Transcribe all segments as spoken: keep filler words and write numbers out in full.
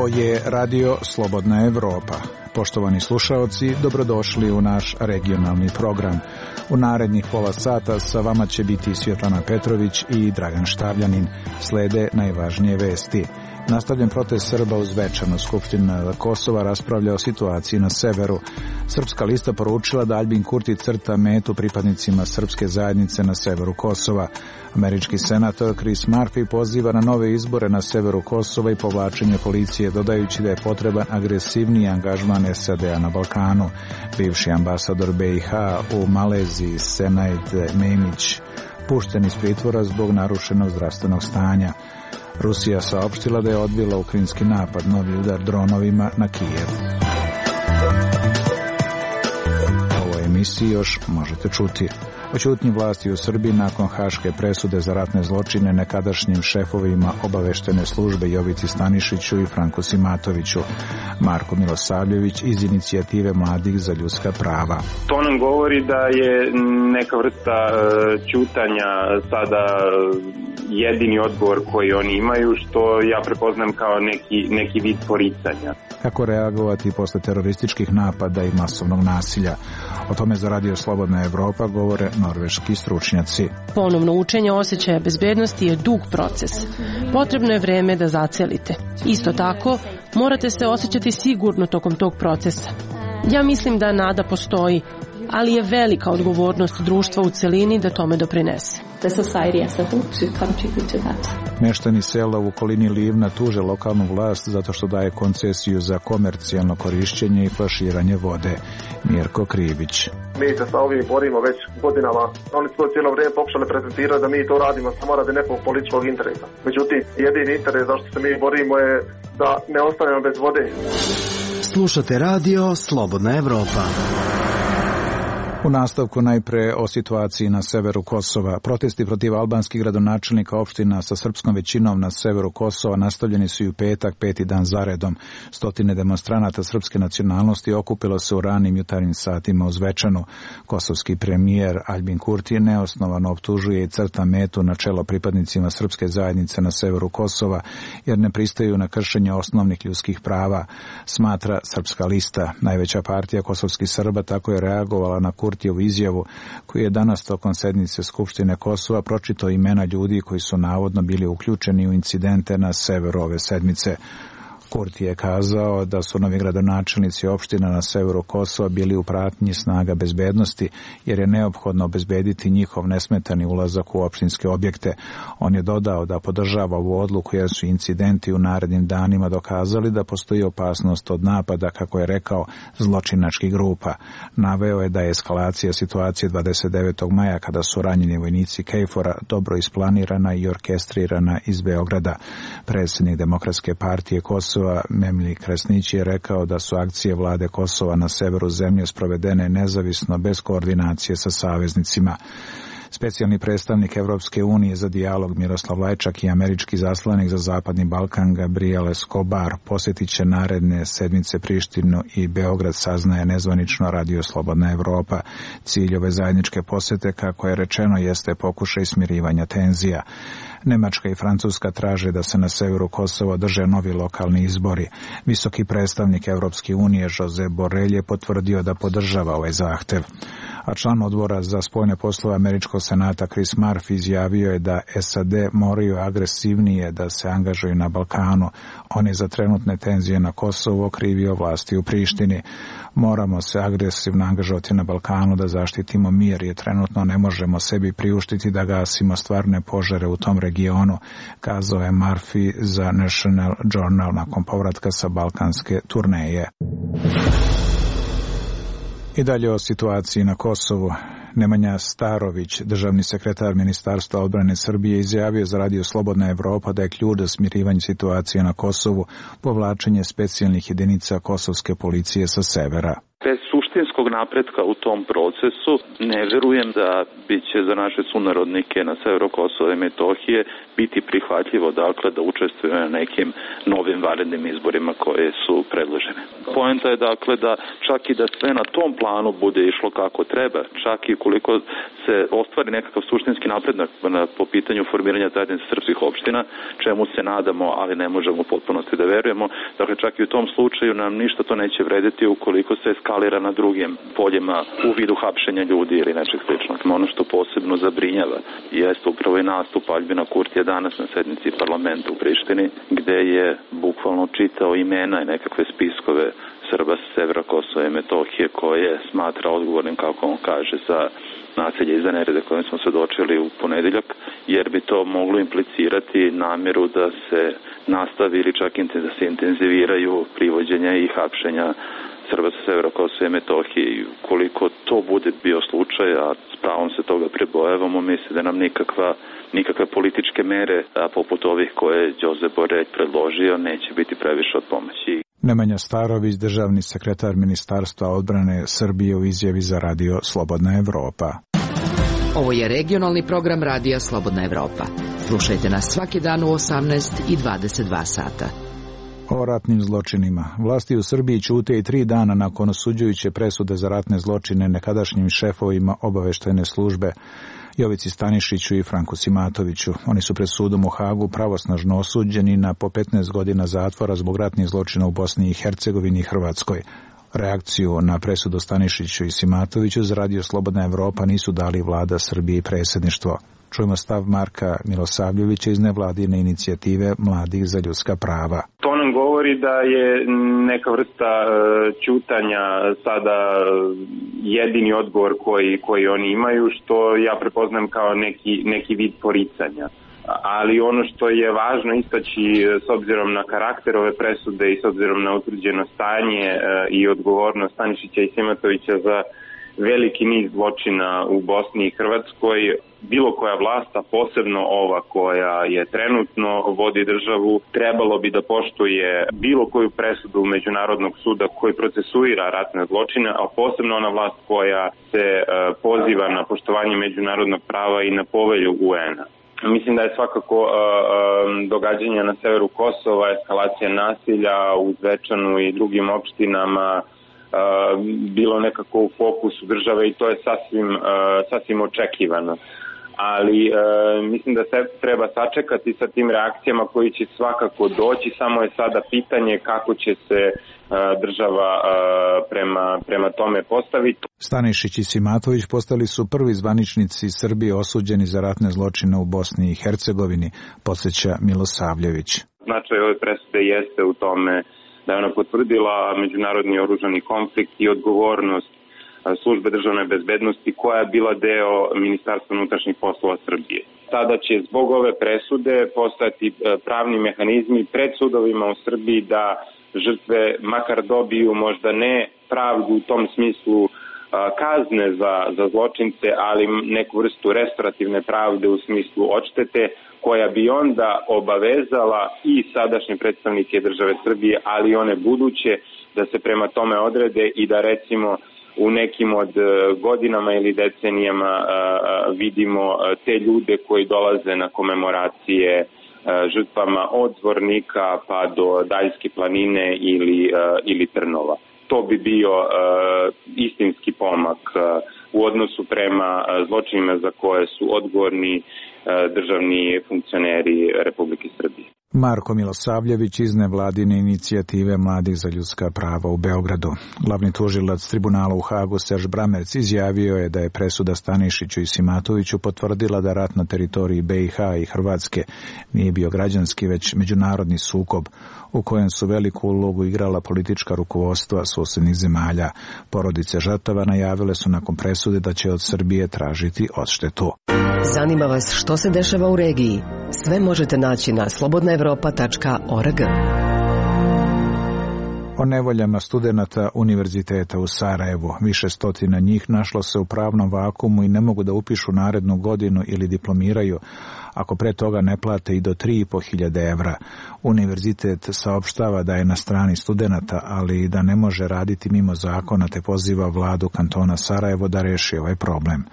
Ovo je Radio Slobodna Evropa. Poštovani slušaoci, dobrodošli u naš regionalni program. U narednih pola sata sa vama će biti Svjetlana Petrović i Dragan Štavljanin. Slede najvažnije vesti. Nastavljen protest Srba u Zvečanu. Skupština Kosova raspravlja o situaciji na severu. Srpska lista poručila da Aljbin Kurti crta metu pripadnicima srpske zajednice na severu Kosova. Američki senator Chris Murphy poziva na nove izbore na severu Kosova i povlačenje policije, dodajući da je potreban agresivniji angažman S A D-a na Balkanu. Bivši ambasador B i H u Maleziji Senaid Memić pušten iz pritvora zbog narušenog zdravstvenog stanja. Rusija saopštila da je odbila ukrajinski napad, novi udar dronovima na Kijev. U ovoj emisiji još možete čuti o ćutnji vlasti u Srbiji nakon haške presude za ratne zločine nekadašnjim šefovima obaveštene službe Jovici Stanišiću i Franku Simatoviću. Marko Milosavljević iz inicijative Mladih za ljudska prava. To nam govori da je neka vrsta ćutanja sada jedini odgovor koji oni imaju, što ja prepoznam kao neki, neki vid poricanja. Kako reagovati posle terorističkih napada i masovnog nasilja? O tome za Radio Slobodna Evropa govore norveški stručnjaci. Ponovno učenje osjećaja bezbednosti je dug proces. Potrebno je vreme da zacelite. Isto tako, morate se osjećati sigurno tokom tog procesa. Ja mislim da nada postoji, ali je velika odgovornost društva u celini da tome doprinese. Meštani sela u okolini Livna tuže lokalnu vlast zato što daje koncesiju za komercijalno korišćenje i flaširanje vode. Mirko Krivić. Mi se sa ovim borimo već godinama. Oni su to cijelo vrijeme pokušali prezentirati da mi to radimo samo radi nekog političkog interesa. Međutim, jedini interes zašto se mi borimo je da ne ostanemo bez vode. Slušate Radio Slobodna Evropa. U nastavku najpre o situaciji na severu Kosova. Protesti protiv albanskih gradonačelnika opština sa srpskom većinom na severu Kosova nastavljeni su i u petak, peti dan zaredom. Stotine demonstranata srpske nacionalnosti okupilo se u ranim jutarnjim satima u Zvečanu. Kosovski premijer Aljbin Kurti neosnovano optužuje i crta metu na čelo pripadnicima srpske zajednice na severu Kosova, jer ne pristaju na kršenje osnovnih ljudskih prava, smatra Srpska lista. Najveća partija kosovskih Srba tako je reagovala na Kurti Kurtijevu izjavu, koji je danas tokom sednice Skupštine Kosova pročitao imena ljudi koji su navodno bili uključeni u incidente na severu ove sedmice. Kurti je kazao da su novi gradonačelnici opština na severu Kosova bili u pratnji snaga bezbednosti, jer je neophodno obezbediti njihov nesmetani ulazak u opštinske objekte. On je dodao da podržava ovu odluku jer su incidenti u narednim danima dokazali da postoji opasnost od napada, kako je rekao, zločinačkih grupa. Naveo je da je eskalacija situacije dvadeset devetog maja, kada su ranjeni vojnici Kejfora, dobro isplanirana i orkestrirana iz Beograda. Predsjednik Demokratske partije Kosova Memli Kresnić je rekao da su akcije vlade Kosova na severu zemlje sprovedene nezavisno, bez koordinacije sa saveznicima. Specijalni predstavnik Evropske unije za dijalog Miroslav Lajčak i američki zaslanik za Zapadni Balkan Gabriel Escobar posjetit će naredne sedmice Prištinu i Beograd, saznaje nezvanično Radio Slobodna Evropa. Cilj ove zajedničke posjete, kako je rečeno, jeste pokušaj smirivanja tenzija. Nemačka i Francuska traže da se na severu Kosova održe novi lokalni izbori. Visoki predstavnik Evropske unije Josep Borrell je potvrdio da podržava ovaj zahtev. A član odbora za spoljne poslove američkog senata Chris Murphy izjavio je da S A D moraju agresivnije da se angažuju na Balkanu. On je za trenutne tenzije na Kosovu okrivio vlasti u Prištini. Moramo se agresivno angažovati na Balkanu da zaštitimo mir, jer trenutno ne možemo sebi priuštiti da gasimo stvarne požare u tom regionu, kazao je Murphy za National Journal nakon povratka sa balkanske turneje. I dalje o situaciji na Kosovu. Nemanja Starović, državni sekretar Ministarstva odbrane Srbije, izjavio za Radio Slobodna Evropa da je ključ za smirivanje situacije na Kosovu povlačenje specijalnih jedinica kosovske policije sa severa. Bez suštinskog napretka u tom procesu ne verujem da bi će za naše sunarodnike na severu Kosova i Metohije biti prihvatljivo dakle da učestvuju na nekim novim vanrednim izborima koje su predložene. Poenta je dakle da čak i da sve na tom planu bude išlo kako treba, čak i koliko se ostvari nekakav suštinski napredak po pitanju formiranja zajednice srpskih opština, čemu se nadamo, ali ne možemo u potpunosti da verujemo. Dakle, čak i u tom slučaju nam ništa to neće vrediti ukoliko se eskalira na drugim poljima u vidu hapšenja ljudi ili nečeg sličnog. Ono što posebno zabrinjava jeste upravo i nastup Aljbina Kurtija danas na sednici parlamenta u Prištini, gde je bukvalno čitao imena i nekakve spiskove Srba sa severa Kosova i Metohije koje smatra odgovornim, kako on kaže, za nasilje i za nerede kojim smo svedočili u ponedeljak, jer bi to moglo implicirati namjeru da se nastavi ili čak da se intenziviraju privođenja i hapšenja Srba sa severa Kosova i Metohije. Koliko to bude bio slučaj, a s pravom se toga prebojavamo, misli da nam nikakva, nikakve političke mere, a poput ovih koje je Đose Borelj predložio, neće biti previše od pomoći. Nemanja Starović, državni sekretar Ministarstva odbrane Srbije u izjavi za radio Slobodna Evropa. Ovo je regionalni program radija Slobodna Evropa. Slušajte nas svaki dan u osamnaest i dvadeset dva sata. O ratnim zločinima. Vlasti u Srbiji ćute i tri dana nakon osuđujuće presude za ratne zločine nekadašnjim šefovima obaveštajne službe Jovici Stanišiću i Franku Simatoviću. Oni su pred sudom u Hagu pravosnažno osuđeni na po petnaest godina zatvora zbog ratnih zločina u Bosni i Hercegovini i Hrvatskoj. Reakciju na presudu Stanišiću i Simatoviću za radio Slobodna Evropa nisu dali vlada Srbije i predsjedništvo. Čujemo stav Marka Milosavljevića iz nevladine inicijative Mladih za ljudska prava. To nam govori da je neka vrsta ćutanja sada jedini odgovor koji, koji oni imaju, što ja prepoznam kao neki, neki vid poricanja. Ali ono što je važno istaći s obzirom na karakter ove presude i s obzirom na utvrđeno stanje i odgovornost Stanišića i Simatovića za veliki niz zločina u Bosni i Hrvatskoj, bilo koja vlast, a posebno ova koja je trenutno vodi državu, trebalo bi da poštuje bilo koju presudu Međunarodnog suda koji procesuira ratne zločine, a posebno ona vlast koja se poziva na poštovanje međunarodnog prava i na povelju U En-a. Mislim da je svakako uh, događanja na severu Kosova, eskalacija nasilja u Zvečanu i drugim opštinama uh, bilo nekako u fokusu države i to je sasvim, uh, sasvim očekivano. Ali uh, mislim da se treba sačekati sa tim reakcijama koji će svakako doći, samo je sada pitanje kako će se država prema, prema tome postaviti. Stanišić i Simatović postali su prvi zvaničnici Srbije osuđeni za ratne zločine u Bosni i Hercegovini, podsjeća Milosavljević. Značaj ove presude jeste u tome da je ona potvrdila međunarodni oružani konflikt i odgovornost službe državne bezbednosti koja je bila deo Ministarstva unutrašnjih poslova Srbije. Sada će zbog ove presude postati pravni mehanizmi pred sudovima u Srbiji da žrtve makar dobiju možda ne pravdu u tom smislu kazne za, za zločince, ali neku vrstu restorativne pravde u smislu odštete, koja bi onda obavezala i sadašnje predstavnike države Srbije, ali i one buduće, da se prema tome odrede i da recimo u nekim od godinama ili decenijama vidimo te ljude koji dolaze na komemoracije žrtvama od Zvornika pa do Daljske planine ili, ili Trnova. To bi bio istinski pomak u odnosu prema zločinima za koje su odgovorni državni funkcioneri Republike Srbije. Marko Milosavljević iz nevladine inicijative Mladih za ljudska prava u Beogradu. Glavni tužilac tribunala u Hagu Serž Bramerc izjavio je da je presuda Stanišiću i Simatoviću potvrdila da rat na teritoriji B i H i Hrvatske nije bio građanski, već međunarodni sukob u kojem su veliku ulogu igrala politička rukovodstva susjednih zemalja. Porodice žrtava najavile su nakon presude da će od Srbije tražiti odštetu. Zanima vas što se dešava u regiji? Sve možete naći na slobodna evropa tačka org. O nevoljama studenata Univerziteta u Sarajevu. Više stotina njih našlo se u pravnom vakumu i ne mogu da upišu narednu godinu ili diplomiraju ako pre toga ne plate i do tri i po hiljade evra. Univerzitet saopštava da je na strani studenata, ali da ne može raditi mimo zakona, te poziva vladu kantona Sarajevo da reši ovaj problem.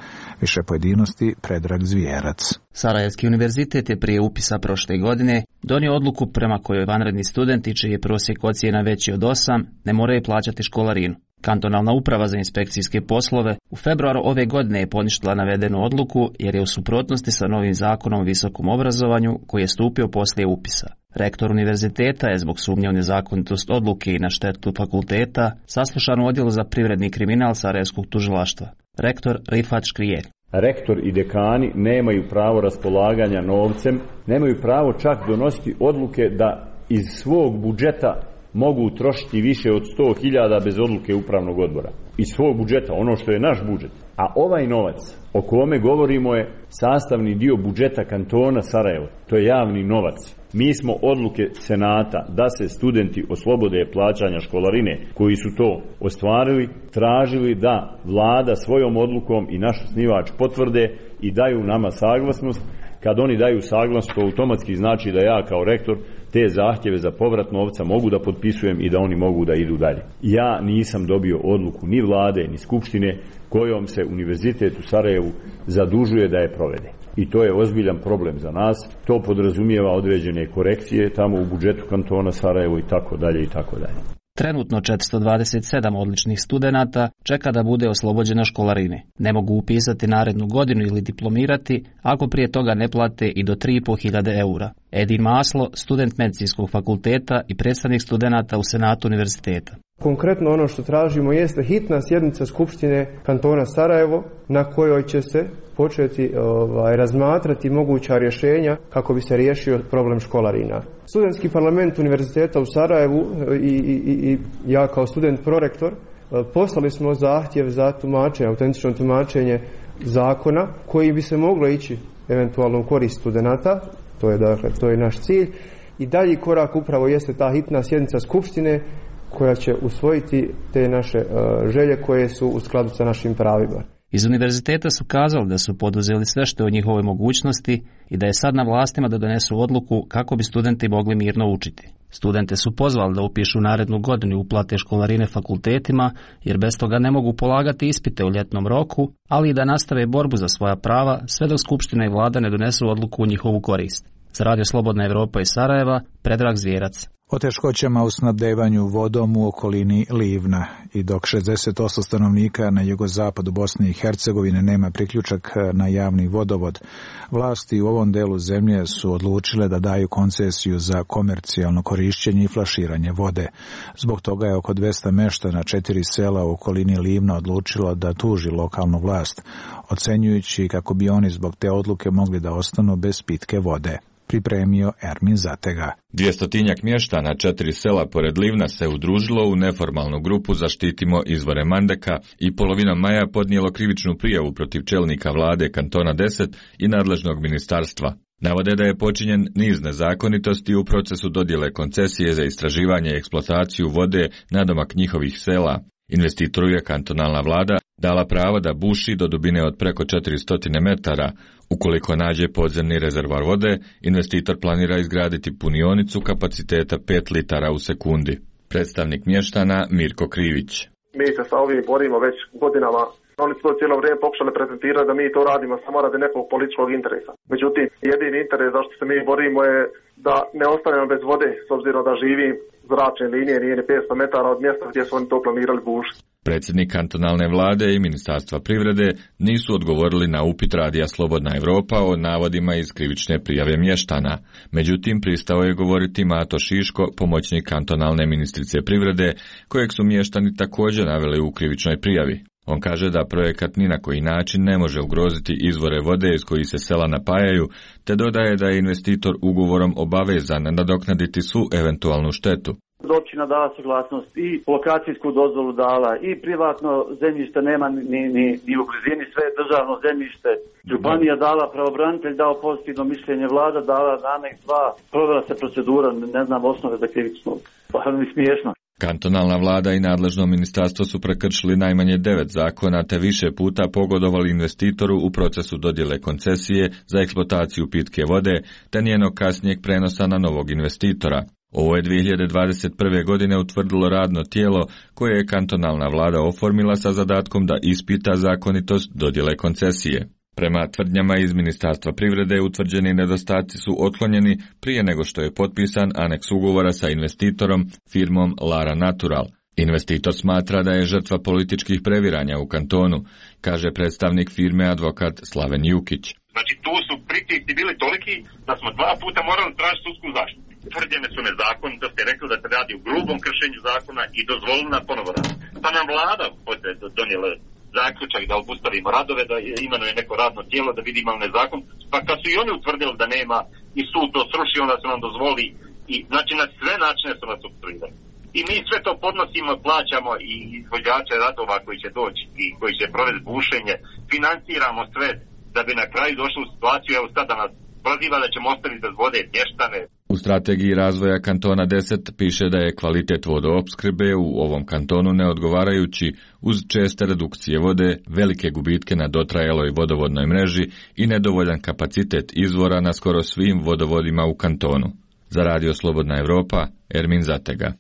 Više pojedinosti Predrag Zvijerac. Sarajevski univerzitet je prije upisa prošle godine donio odluku prema kojoj vanredni studenti čiji je prosjek ocjena veći od osam ne moraju plaćati školarinu. Kantonalna uprava za inspekcijske poslove u februaru ove godine je poništila navedenu odluku jer je u suprotnosti sa novim zakonom o visokom obrazovanju koji je stupio poslije upisa. Rektor univerziteta je zbog sumnje u nezakonitost odluke i na štetu fakulteta saslušan u odjelu za privredni kriminal Sarajevskog tužilaštva. Rektor Rifat Škrijelj. Rektor i dekani nemaju pravo raspolaganja novcem, nemaju pravo čak donositi odluke da iz svog budžeta mogu trošiti više od sto hiljada bez odluke upravnog odbora. Iz svog budžeta, ono što je naš budžet. A ovaj novac o kome govorimo je sastavni dio budžeta kantona Sarajevo. To je javni novac. Mi smo odluke Senata da se studenti oslobode plaćanja školarine koji su to ostvarili, tražili da vlada svojom odlukom i naš osnivač potvrde i daju nama saglasnost. Kad oni daju saglasnost, to automatski znači da ja kao rektor te zahtjeve za povrat novca mogu da potpisujem i da oni mogu da idu dalje. Ja nisam dobio odluku ni vlade, ni skupštine kojom se Univerzitet u Sarajevu zadužuje da je provede. I to je ozbiljan problem za nas. To podrazumijeva određene korekcije tamo u budžetu kantona Sarajevo i tako dalje i tako dalje. Trenutno četiristo dvadeset sedam odličnih studenata čeka da bude oslobođena školarine. Ne mogu upisati narednu godinu ili diplomirati ako prije toga ne plate i do tri i po hiljade eura. Edin Maslo, student medicinskog fakulteta i predstavnik studenata u Senatu univerziteta. Konkretno ono što tražimo jeste hitna sjednica Skupštine kantona Sarajevo na kojoj će se početi ovaj, razmatrati moguća rješenja kako bi se riješio problem školarina. Studentski parlament Univerziteta u Sarajevu i, i, i ja kao student prorektor poslali smo zahtjev za tumačenje, autentično tumačenje zakona koji bi se moglo ići eventualno u korist studenata. To je, dakle, to je naš cilj. I dalji korak upravo jeste ta hitna sjednica Skupštine koja će usvojiti te naše uh, želje koje su u skladu sa našim pravima. Iz univerziteta su kazali da su poduzeli sve što je u njihovoj mogućnosti i da je sad na vlastima da donesu odluku kako bi studenti mogli mirno učiti. Studente su pozvali da upišu narednu godinu i uplate školarine fakultetima, jer bez toga ne mogu polagati ispite u ljetnom roku, ali i da nastave borbu za svoja prava sve dok Skupština i vlada ne donesu odluku u njihovu korist. Za Radio Slobodna Evropa iz Sarajeva, Predrag Zvijerac. O teškoćama u snabdevanju vodom u okolini Livna i dok šezdeset osam stanovnika na jugozapadu Bosne i Hercegovine nema priključak na javni vodovod, vlasti u ovom delu zemlje su odlučile da daju koncesiju za komercijalno korišćenje i flaširanje vode. Zbog toga je oko dvesta meštana četiri sela u okolini Livna odlučilo da tuži lokalnu vlast, ocenjujući kako bi oni zbog te odluke mogli da ostanu bez pitke vode. Pripremio Ermin Zatega. Dvjestotinjak mještana četiri sela pored Livna se udružilo u neformalnu grupu Zaštitimo izvore Mandeka i polovinom maja podnijelo krivičnu prijavu protiv čelnika vlade kantona deset i nadležnog ministarstva. Navode da je počinjen niz nezakonitosti u procesu dodjele koncesije za istraživanje i eksploataciju vode nadomak njihovih sela. Investitoru je kantonalna vlada dala pravo da buši do dubine od preko četiristo metara. Ukoliko nađe podzemni rezervoar vode, investitor planira izgraditi punionicu kapaciteta pet litara u sekundi. Predstavnik mještana Mirko Krivić. Mi se sa ovim borimo već godinama. Oni su to cijelo vrijeme pokušali prezentirati da mi to radimo samo radi nekog političkog interesa. Međutim, jedini interes zašto se mi borimo je da ne ostanemo bez vode, s obzirom da živim zračne linije, nije ni petsto metara od mjesta gdje su oni to planirali bušiti. Predsjednik kantonalne vlade i Ministarstva privrede nisu odgovorili na upit Radija Slobodna Evropa o navodima iz krivične prijave mještana. Međutim, pristao je govoriti Mato Šiško, pomoćnik kantonalne ministrice privrede, kojeg su mještani također naveli u krivičnoj prijavi. On kaže da projekat ni na koji način ne može ugroziti izvore vode iz kojih se sela napajaju, te dodaje da je investitor ugovorom obavezan nadoknaditi svu eventualnu štetu. Općina dala suglasnost i lokacijsku dozvolu dala i privatno zemljište nema ni, ni, ni u blizini, sve je državno zemljište. Županija dala, pravobranitelj dao pozitivno mišljenje, vlada dala aneks dva, provela se procedura, ne znam osnove za krivičnu. Pa mi smiješno. Kantonalna vlada i nadležno ministarstvo su prekršili najmanje devet zakona te više puta pogodovali investitoru u procesu dodjele koncesije za eksploataciju pitke vode te njenog kasnijeg prenosa na novog investitora. Ovo je dvije hiljade dvadeset prve. godine utvrdilo radno tijelo koje je kantonalna vlada oformila sa zadatkom da ispita zakonitost dodjele koncesije. Prema tvrdnjama iz Ministarstva privrede, utvrđeni nedostaci su otklonjeni prije nego što je potpisan aneks ugovora sa investitorom, firmom Lara Natural. Investitor smatra da je žrtva političkih previranja u kantonu, kaže predstavnik firme advokat Slaven Jukić. Znači tu su pritisci bili toliki da smo dva puta morali tražiti sudsku zaštitu. Tvrđene su nezakonitosti, rekli da se radi u grubom kršenju zakona i dozvolili na ponovo rad. Pa nam vlada donijela zaključak da obustavimo radove, da imenuje neko radno tijelo, da vidimo li nezakon. Pa kad su i oni utvrdili da nema i sud to srušio, onda su nam dozvoli i znači na sve načine su nas opstruirali. I mi sve to podnosimo, plaćamo i izvođače radova koji će doći i koji će provesti bušenje, financiramo sve da bi na kraju došli u situaciju, evo sada nas proziva da ćemo ostaviti bez vode mještane. U strategiji razvoja kantona deset piše da je kvalitet vodoopskrbe u ovom kantonu neodgovarajući uz česte redukcije vode, velike gubitke na dotrajaloj vodovodnoj mreži i nedovoljan kapacitet izvora na skoro svim vodovodima u kantonu. Za Radio Slobodna Evropa, Ermin Zatega.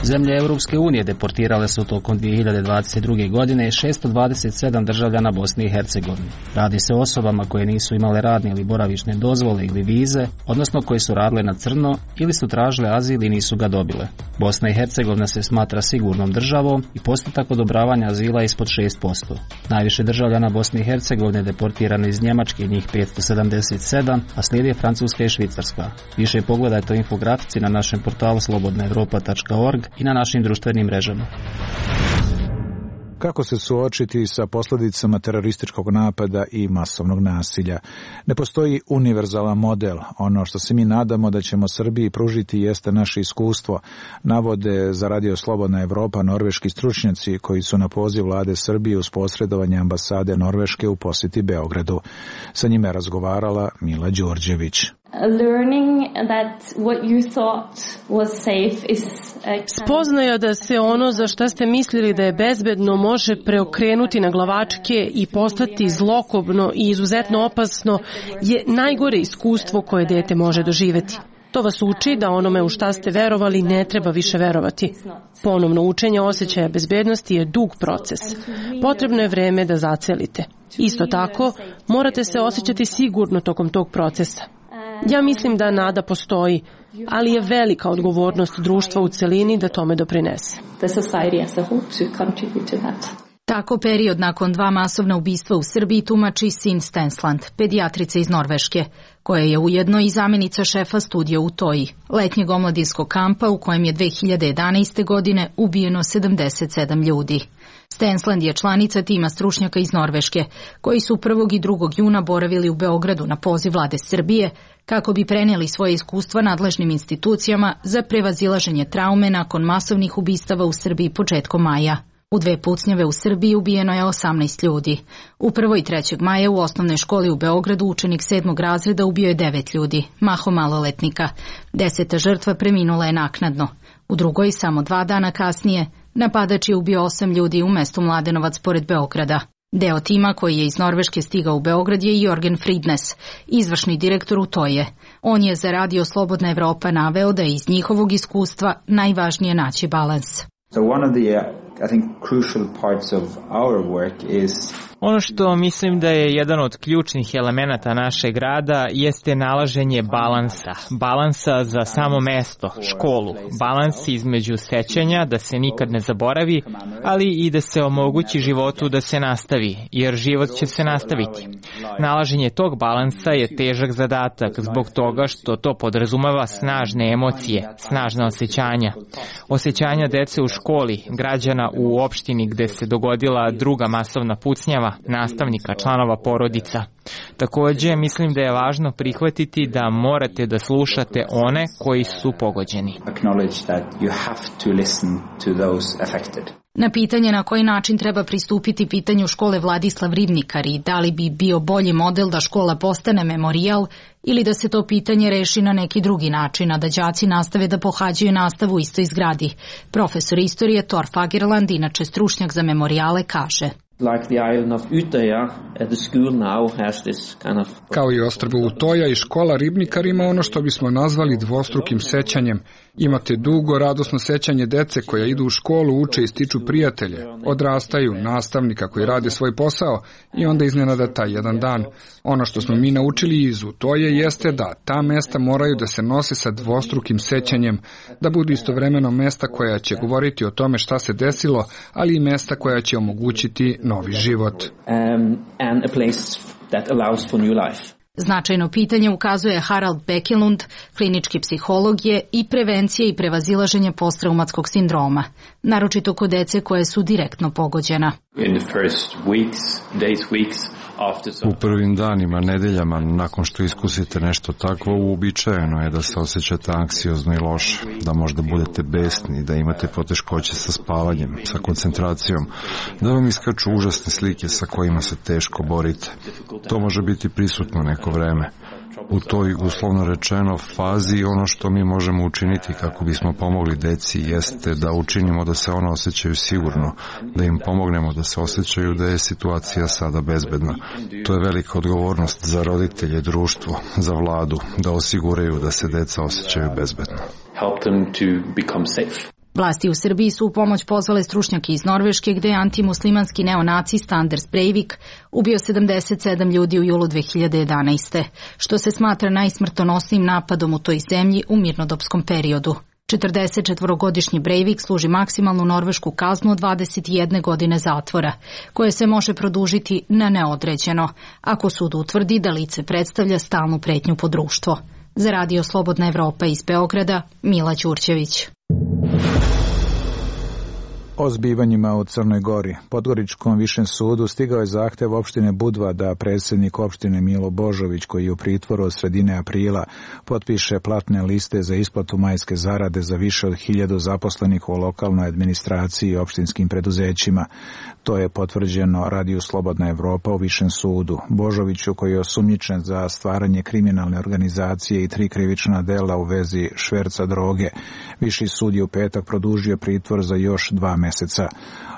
Zemlje Europske unije deportirale su tokom dvije hiljade dvadeset druge. godine šesto dvadeset sedam državljana Bosne i Hercegovine. Radi se o osobama koje nisu imale radne ili boravišne dozvole ili vize, odnosno koje su radile na crno ili su tražile azil i nisu ga dobile. Bosna i Hercegovina se smatra sigurnom državom i postotak odobravanja azila ispod šest posto. Najviše državljana Bosne i Hercegovine deportirano iz Njemačke, njih petsto sedamdeset sedam, a slijedi Francuska i Švicarska. Više pogledajte o infografici na našem portalu slobodna evropa tačka org i na našim društvenim mrežama. Kako se suočiti sa posljedicama terorističkog napada i masovnog nasilja? Ne postoji univerzalan model. Ono što se mi nadamo da ćemo Srbiji pružiti jeste naše iskustvo, navode za Radio Slobodna Evropa norveški stručnjaci koji su na poziv vlade Srbije uz posredovanje ambasade Norveške u posjeti Beogradu. Sa njime je razgovarala Mila Đorđević. Spoznaja da se ono za šta ste mislili da je bezbedno može preokrenuti na glavačke i postati zlokobno i izuzetno opasno je najgore iskustvo koje dete može doživjeti. To vas uči da onome u šta ste verovali ne treba više verovati. Ponovno učenje osjećaja bezbednosti je dug proces. Potrebno je vreme da zacelite. Isto tako, morate se osjećati sigurno tokom tog procesa. Ja mislim da nada postoji, ali je velika odgovornost društva u celini da tome doprinese. Tako period nakon dva masovna ubistva u Srbiji tumači Sin Stensland, pedijatrica iz Norveške, koja je ujedno i zamjenica šefa studija u Toji, letnjeg omladinskog kampa u kojem je dve hiljade jedanaeste. godine ubijeno sedamdeset sedam ljudi. Stensland je članica tima stručnjaka iz Norveške, koji su prvog i drugog juna boravili u Beogradu na poziv vlade Srbije, kako bi prenijeli svoje iskustva nadležnim institucijama za prevazilaženje traume nakon masovnih ubistava u Srbiji početkom maja. U dve pucnjave u Srbiji ubijeno je osamnaest ljudi. U prvog i trećeg maja u osnovnoj školi u Beogradu učenik sedmog razreda ubio je devet ljudi, mahom maloletnika. Deseta žrtva preminula je naknadno. U drugoj, samo dva dana kasnije, napadač je ubio osam ljudi u mestu Mladenovac pored Beograda. Deo tima koji je iz Norveške stigao u Beograd je Jorgen Fridnes, izvršni direktor u Toje. On je za Radio Slobodna Evropa naveo da je iz njihovog iskustva najvažnije naći balans. So one of the, uh, I think, crucial parts of our work is Ono što mislim da je jedan od ključnih elemenata našeg rada jeste nalaženje balansa. Balansa za samo mesto, školu. Balans između sećanja da se nikad ne zaboravi, ali i da se omogući životu da se nastavi, jer život će se nastaviti. Nalaženje tog balansa je težak zadatak zbog toga što to podrazumeva snažne emocije, snažna osjećanja. Osjećanja dece u školi, građana u opštini gde se dogodila druga masovna pucnjava, nastavnika, članova porodica. Takođe, mislim da je važno prihvatiti da morate da slušate one koji su pogođeni. Na pitanje na koji način treba pristupiti pitanju škole Vladislav Ribnikar i da li bi bio bolji model da škola postane memorijal ili da se to pitanje reši na neki drugi način, a da đaci nastave da pohađaju nastavu u istoj zgradi. Profesor istorije Thor Fagerland, inače stručnjak za memorijale, kaže: Kao i ostrvo Utoja i škola Ribnikar ima ono što bismo nazvali dvostrukim sećanjem. Imate dugo, radosno sećanje dece koja idu u školu, uče i stiču prijatelje, odrastaju, nastavnika koji rade svoj posao i onda iznenada taj jedan dan. Ono što smo mi naučili iz Utoje jeste da ta mesta moraju da se nose sa dvostrukim sećanjem, da budu istovremeno mesta koja će govoriti o tome šta se desilo, ali i mesta koja će omogućiti novi život. Um, and a place that allows for new life. Značajno pitanje, ukazuje Harald Bekelund, klinički psiholog je, i prevencije i prevazilaženje posttraumatskog sindroma, naročito kod dece koje su direktno pogođena. U prvim danima, nedeljama, nakon što iskusite nešto takvo, uobičajeno je da se osjećate anksiozno i loše, da možda budete besni, da imate poteškoće sa spavanjem, sa koncentracijom, da vam iskaču užasne slike sa kojima se teško borite. To može biti prisutno neko vreme. U toj, uslovno rečeno, fazi ono što mi možemo učiniti kako bismo pomogli deci jeste da učinimo da se ona osjećaju sigurno, da im pomognemo da se osjećaju da je situacija sada bezbedna. To je velika odgovornost za roditelje, društvo, za vladu, da osiguraju da se deca osjećaju bezbedno. Help them to become safe. Vlasti u Srbiji su u pomoć pozvale stručnjake iz Norveške, gde je antimuslimanski neonacist Anders Breivik ubio sedamdeset sedam ljudi u julu dve hiljade jedanaeste. što se smatra najsmrtonosnijim napadom u toj zemlji u mirnodopskom periodu. četrdesetčetvorogodišnji Breivik služi maksimalnu norvešku kaznu od dvadeset jedne godine zatvora, koje se može produžiti na neodređeno, ako sud utvrdi da lice predstavlja stalnu pretnju po društvo. Za Radio Slobodna Evropa iz Beograda, Mila Đurđević. O zbivanjima u Crnoj Gori. Podgoričkom višem sudu stigao je zahtev opštine Budva da predsjednik opštine Milo Božović, koji je u pritvoru od sredine aprila, potpiše platne liste za isplatu majske zarade za više od hiljadu zaposlenih u lokalnoj administraciji i opštinskim preduzećima. To je potvrđeno Radiju Slobodna Evropa u višem sudu. Božoviću, koji je osumnjičen za stvaranje kriminalne organizacije i tri krivična dela u vezi šverca droge, viši sud je u petak produžio pritvor za još dva meseca.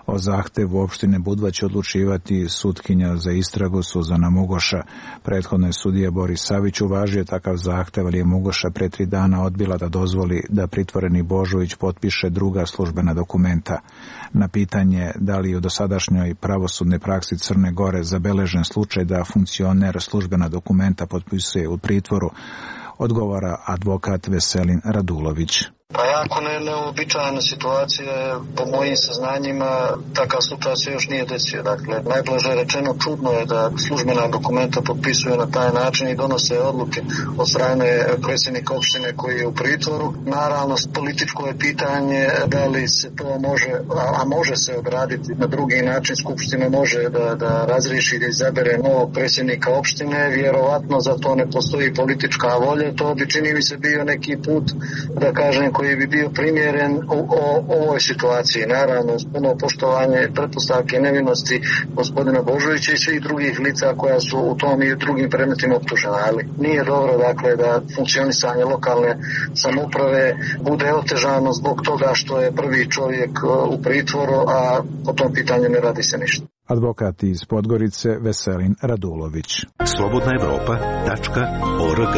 O zahtevu opštine Budva će odlučivati sutkinja za istragu Suzana Mugoša. Prethodno je sudija Boris Savić uvažio takav zahtev, ali je Mugoša pre tri dana odbila da dozvoli da pritvoreni Božović potpiše druga službena dokumenta. Na pitanje da li u dosadašnjoj pravosudnoj praksi Crne Gore zabeležen slučaj da funkcioner službena dokumenta potpisuje u pritvoru, odgovara advokat Veselin Radulović. Pa jako ne, neobičajna situacija, po mojim saznanjima takav slučaj se još nije desio. Dakle, najblaže rečeno čudno je da službena dokumenta potpisuju na taj način i donose odluke od strane predsjednika opštine koji je u pritvoru. Naravno, političko je pitanje da li se to može, a može se odraditi na drugi način. Skupština može da, da razriješi da izabere novog predsjednika opštine. Vjerovatno za to ne postoji politička volja. To bi, čini mi se, bio neki put, da kažem, koji bi bio primjeren u, u, u ovoj situaciji. Naravno, uz puno poštovanje pretpostavke nevinosti gospodina Božovića i svih drugih lica koja su u tom i u drugim predmetima optužena. Ali nije dobro, dakle, da funkcionisanje lokalne samouprave bude otežano zbog toga što je prvi čovjek u pritvoru, a po tom pitanju ne radi se ništa. Advokat iz Podgorice Veselin Radulović. Slobodna Evropa tačka org.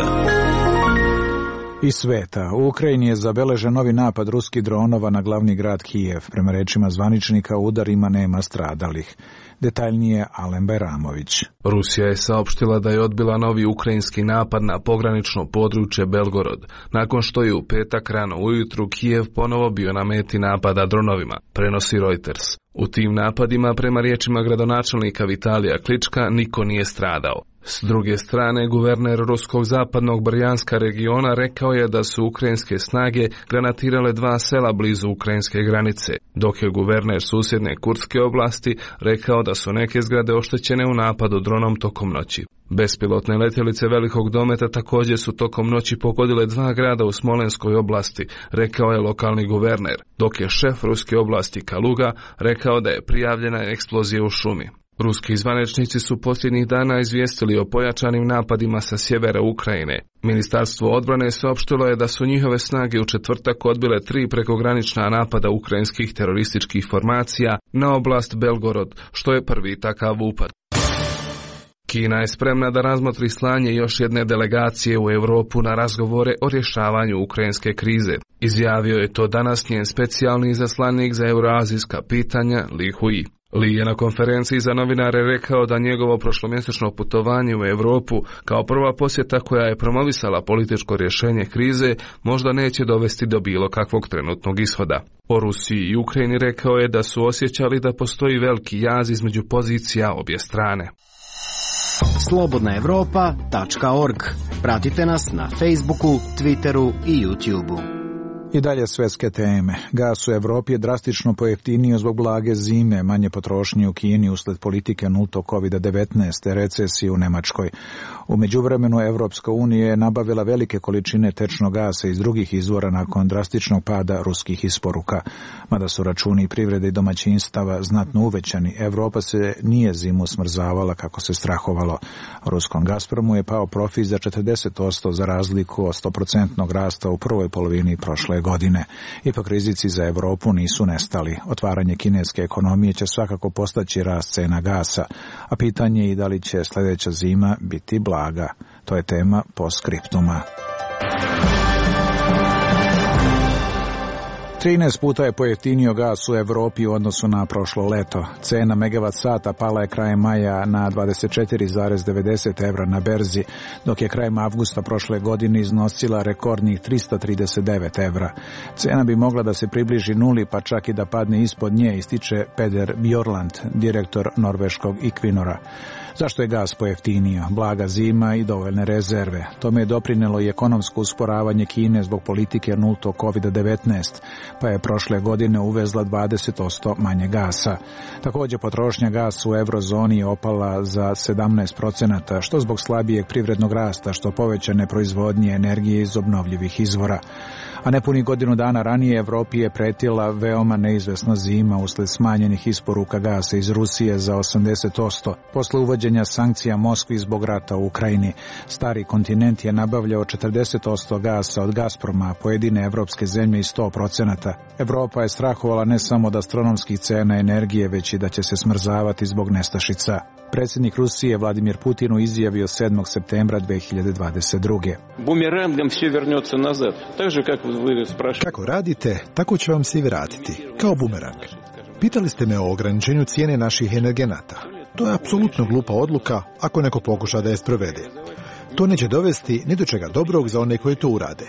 Iz sveta. U Ukrajini je zabeležen novi napad ruskih dronova na glavni grad Kijev. Prema rečima zvaničnika, u udarima nema stradalih. Detaljnije Alen Bajramović. Rusija je saopštila da je odbila novi ukrajinski napad na pogranično područje Belgorod, nakon što je u petak rano ujutru Kijev ponovo bio na meti napada dronovima, prenosi Reuters. U tim napadima, prema riječima gradonačelnika Vitalija Klička, niko nije stradao. S druge strane, guverner ruskog zapadnog Brjanska regiona rekao je da su ukrajinske snage granatirale dva sela blizu ukrajinske granice, dok je guverner susjedne Kurdske oblasti rekao da su neke zgrade oštećene u napadu dronom tokom noći. Bespilotne letjelice velikog dometa također su tokom noći pogodile dva grada u Smolenskoj oblasti, rekao je lokalni guverner, dok je šef ruske oblasti Kaluga rekao da je prijavljena eksplozija u šumi. Ruski zvaničnici su posljednjih dana izvijestili o pojačanim napadima sa sjevera Ukrajine. Ministarstvo odbrane saopštilo je da su njihove snage u četvrtak odbile tri prekogranična napada ukrajinskih terorističkih formacija na oblast Belgorod, što je prvi takav upad. Kina je spremna da razmotri slanje još jedne delegacije u Europu na razgovore o rješavanju ukrajinske krize. Izjavio je to danas njen specijalni izaslanik za euroazijska pitanja Li Hui. Li je na konferenciji za novinare rekao da njegovo prošlomjesečno putovanje u Europu kao prva posjeta koja je promovisala političko rješenje krize možda neće dovesti do bilo kakvog trenutnog ishoda. O Rusiji i Ukrajini rekao je da su osjećali da postoji veliki jaz između pozicija obje strane. slobodna europa tačka org. Pratite nas na Facebooku, Twitteru i YouTubeu. I dalje svetske teme. Gas u Evropi je drastično pojeftinio zbog blage zime, manje potrošnje u Kini usled politike nultog kovid devetnaest, recesije u Nemačkoj. U međuvremenu Evropska unija je nabavila velike količine tečnog gasa iz drugih izvora nakon drastičnog pada ruskih isporuka. Mada su računi privrede i domaćinstava znatno uvećani, Evropa se nije zimu smrzavala kako se strahovalo. Ruskom Gazpromu je pao profit za četrdeset posto za razliku od sto posto rasta u prvoj polovini prošle godine. Ipak rizici za Evropu nisu nestali. Otvaranje kineske ekonomije će svakako postaći rast cena gasa, a pitanje je i da li će sljedeća zima biti blaga. To je tema postskriptuma. trinaest puta je pojeftinio gas u Evropi u odnosu na prošlo leto. Cena megavat sata pala je krajem maja na dvadeset četiri zarez devedeset evra na berzi, dok je krajem avgusta prošle godine iznosila rekordnih tristo trideset devet evra. Cena bi mogla da se približi nuli, pa čak i da padne ispod nje, ističe Peder Bjorland, direktor norveškog Equinora. Zašto je gas pojeftinio? Blaga zima i dovoljne rezerve. Tome je doprinelo i ekonomsko usporavanje Kine zbog politike nultog kovid devetnaest, pa je prošle godine uvezla dvadeset posto manje gasa. Također potrošnja gasa u eurozoni je opala za sedamnaest procenata, što zbog slabijeg privrednog rasta, što povećane proizvodnje energije iz obnovljivih izvora. A nepuni godinu dana ranije Evropi je pretila veoma neizvesna zima usled smanjenih isporuka gasa iz Rusije za osamdeset posto. Posle uvođenja sankcija Moskvi zbog rata u Ukrajini, stari kontinent je nabavljao četrdeset posto gasa od Gazproma, a pojedine evropske zemlje i sto procenata. Evropa je strahovala ne samo od astronomskih cena energije, već i da će se smrzavati zbog nestašica. Predsjednik Rusije Vladimir Putin izjavio sedmog septembra dve hiljade dvadeset druge. Bumerangom sve vrnется nazad, tako kako vi sprašujete. Kako radite, tako će vam se vratiti, kao bumerang. Pitali ste me o ograničenju cijene naših energenata. To je apsolutno glupa odluka ako neko pokuša da je sprovede. To neće dovesti ni do čega dobrog za one koji to urade.